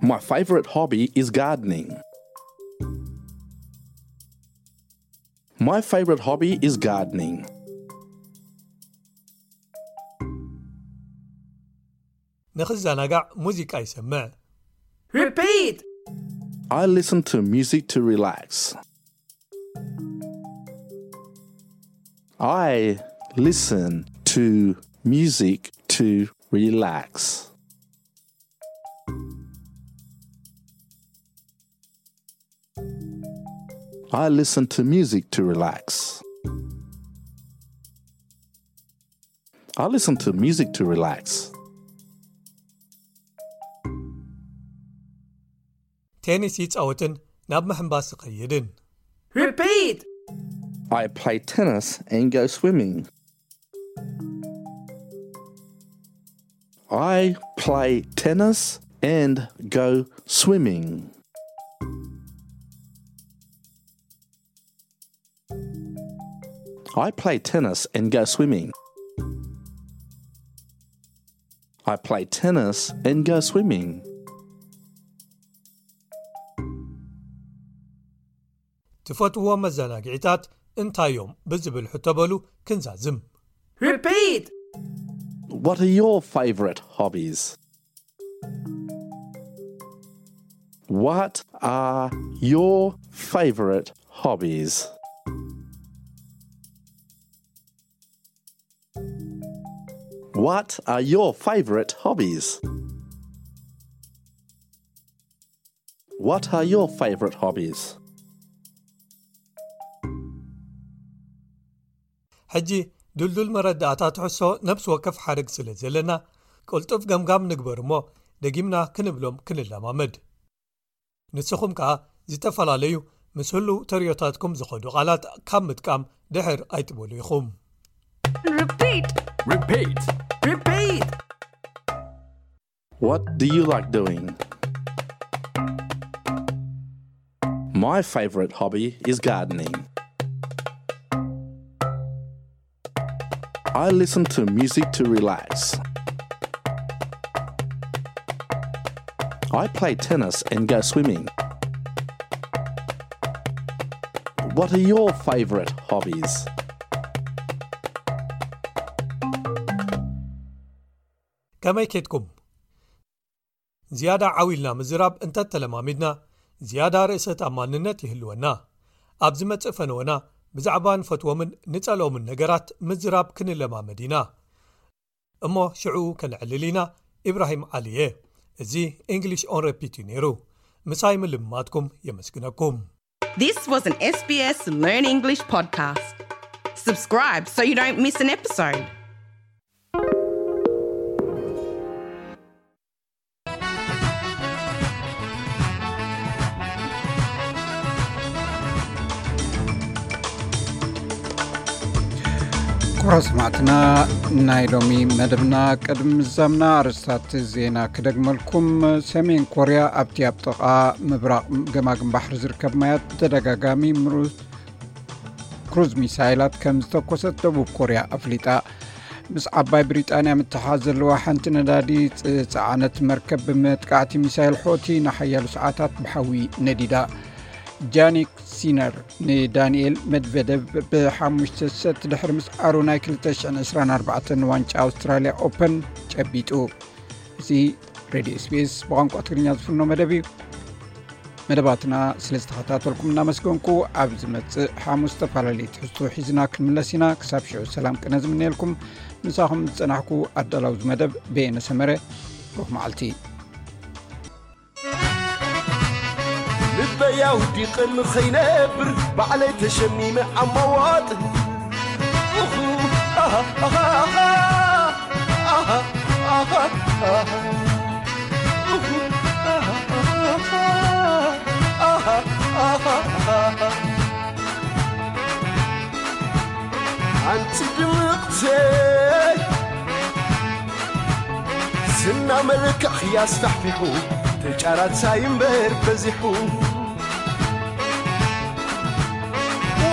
My favorite hobby is gardening. My favorite hobby is gardening. ንኽዘናጋዕ ሙዚቃ ይሰምዕ። Repeat! I listen to music to relax. I listen to music to relax. I listen to music to relax. I listen to music to relax. ቴኒስ ይጻወትን ናብ ምሕንባስ ይኸይድን። Repeat! I play tennis and go swimming. I play tennis and go swimming. I play tennis and go swimming. I play tennis and go swimming. ትፈትዎ መዘናግዒታት እንታይ እዮም ብዝብል ሕቶ በሉ ክንዛዝም። Repeat! What are your favorite hobbies? What are your favorite hobbies? What are your favorite hobbies? What are your favorite hobbies? ሕጂ ድልዱል መረዳእታ ትሕሶ ነብሲ ወከፍ ሓረግ ስለ ዘለና ቅልጡፍ ገምጋም ንግበር እሞ ደጊምና ክንብሎም ክንለማመድ። ንስኹም ከኣ ዝተፈላለዩ ምስ ህሉው ተርእዮታትኩም ዝኸዱ ቃላት ካብ ምጥቃም ድሕር ኣይትበሉ ኢኹም። Repeat. Repeat. Repeat! What do you like doing? My favorite hobby is gardening. I listen to music to relax. I play tennis and go swimming. What are your favorite hobbies? ከመይ ኬድኩም? ዝያዳ ዓው ኢልና ምዝራብ እንተተለማሚድና ዝያዳ ርእሰ ተኣማንነት ይህልወና። ኣብ ዝመጽእ ፈነወና ብዛዕባ ንፈትዎምን ንጸልኦምን ነገራት ምዝራብ ክንለማመድ ኢና። እሞ ሽዑ ከነዕልል ኢና። ኢብራሂም ዓሊ እየ። እዚ English on Repeat እዩ ነይሩ። ምሳይ ምልምማድኩም የመስግነኩም። This was an S B S Learn English podcast. Subscribe so you don't miss an episode. ክቡራት ሰማዕትና፣ ናይ ሎሚ መደብና ቅድሚ ምዛምና ኣርእስታት ዜና ክደግመልኩም። ሰሜን ኮርያ ኣብቲ ኣብ ጥቓ ምብራቕ ገማግም ባሕሪ ዝርከብ ማያት ብተደጋጋሚ ምሩት ክሩዝ ሚሳይላት ከም ዝተኮሰት ደቡብ ኮርያ ኣፍሊጣ። ምስ ዓባይ ብሪጣንያ ምትሓዝ ዘለዋ ሓንቲ ነዳዲ ጽ-፣ ጸዓነት መርከብ ብመጥቃዕቲ ሚሳይል ሖቲ ንሓያሎ ሰዓታት ብሓዊ ነዲዳ። ጃኒክ ሲነር ንዳንኤል መድቨደቭ ብሓሙሽተ ሰት ድሕሪ ምስዓሩ ናይ ክልተ ሽሕን ዕስራን ኣርባዕተን ዋንጫ ኣውስትራልያ ኦፐን ጨቢጡ። እዚ ሬድዮ ኤስቢኤስ ብቋንቋ ትግርኛ ዝፍኖ መደብ እዩ። መደባትና ስለ ዝተኸታተልኩም እናመስገንኩ፣ ኣብ ዝመጽእ ሓሙስ ዝተፈላለየ ትሕዝቶ ሒዝና ክንምለስ ኢና። ክሳብ ሽዑ ሰላም ቅነ ዝምነየልኩም፣ ምሳኹም ዝጸናሕኩ ኣዳላዊ መደብ በየነ ሰመረ። ብሩኽ መዓልቲ። ልበይ ኣውዲቐ ንኸይነብር ባዕለይ ተሸሚመ ኣማዋጥ። ኣንቲ ድምቕተይ ዝና መልክዕኺ ኣስፋሕፊሑ፣ ተጫራታይ እምበር በዚሑ።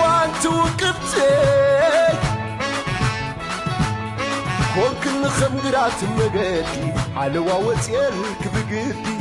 ዋንቲ ውቅብተይ ኮንክኒ ከም ግራት መገዲ፣ ሓለዋ ወፅየልክ ብግዲ።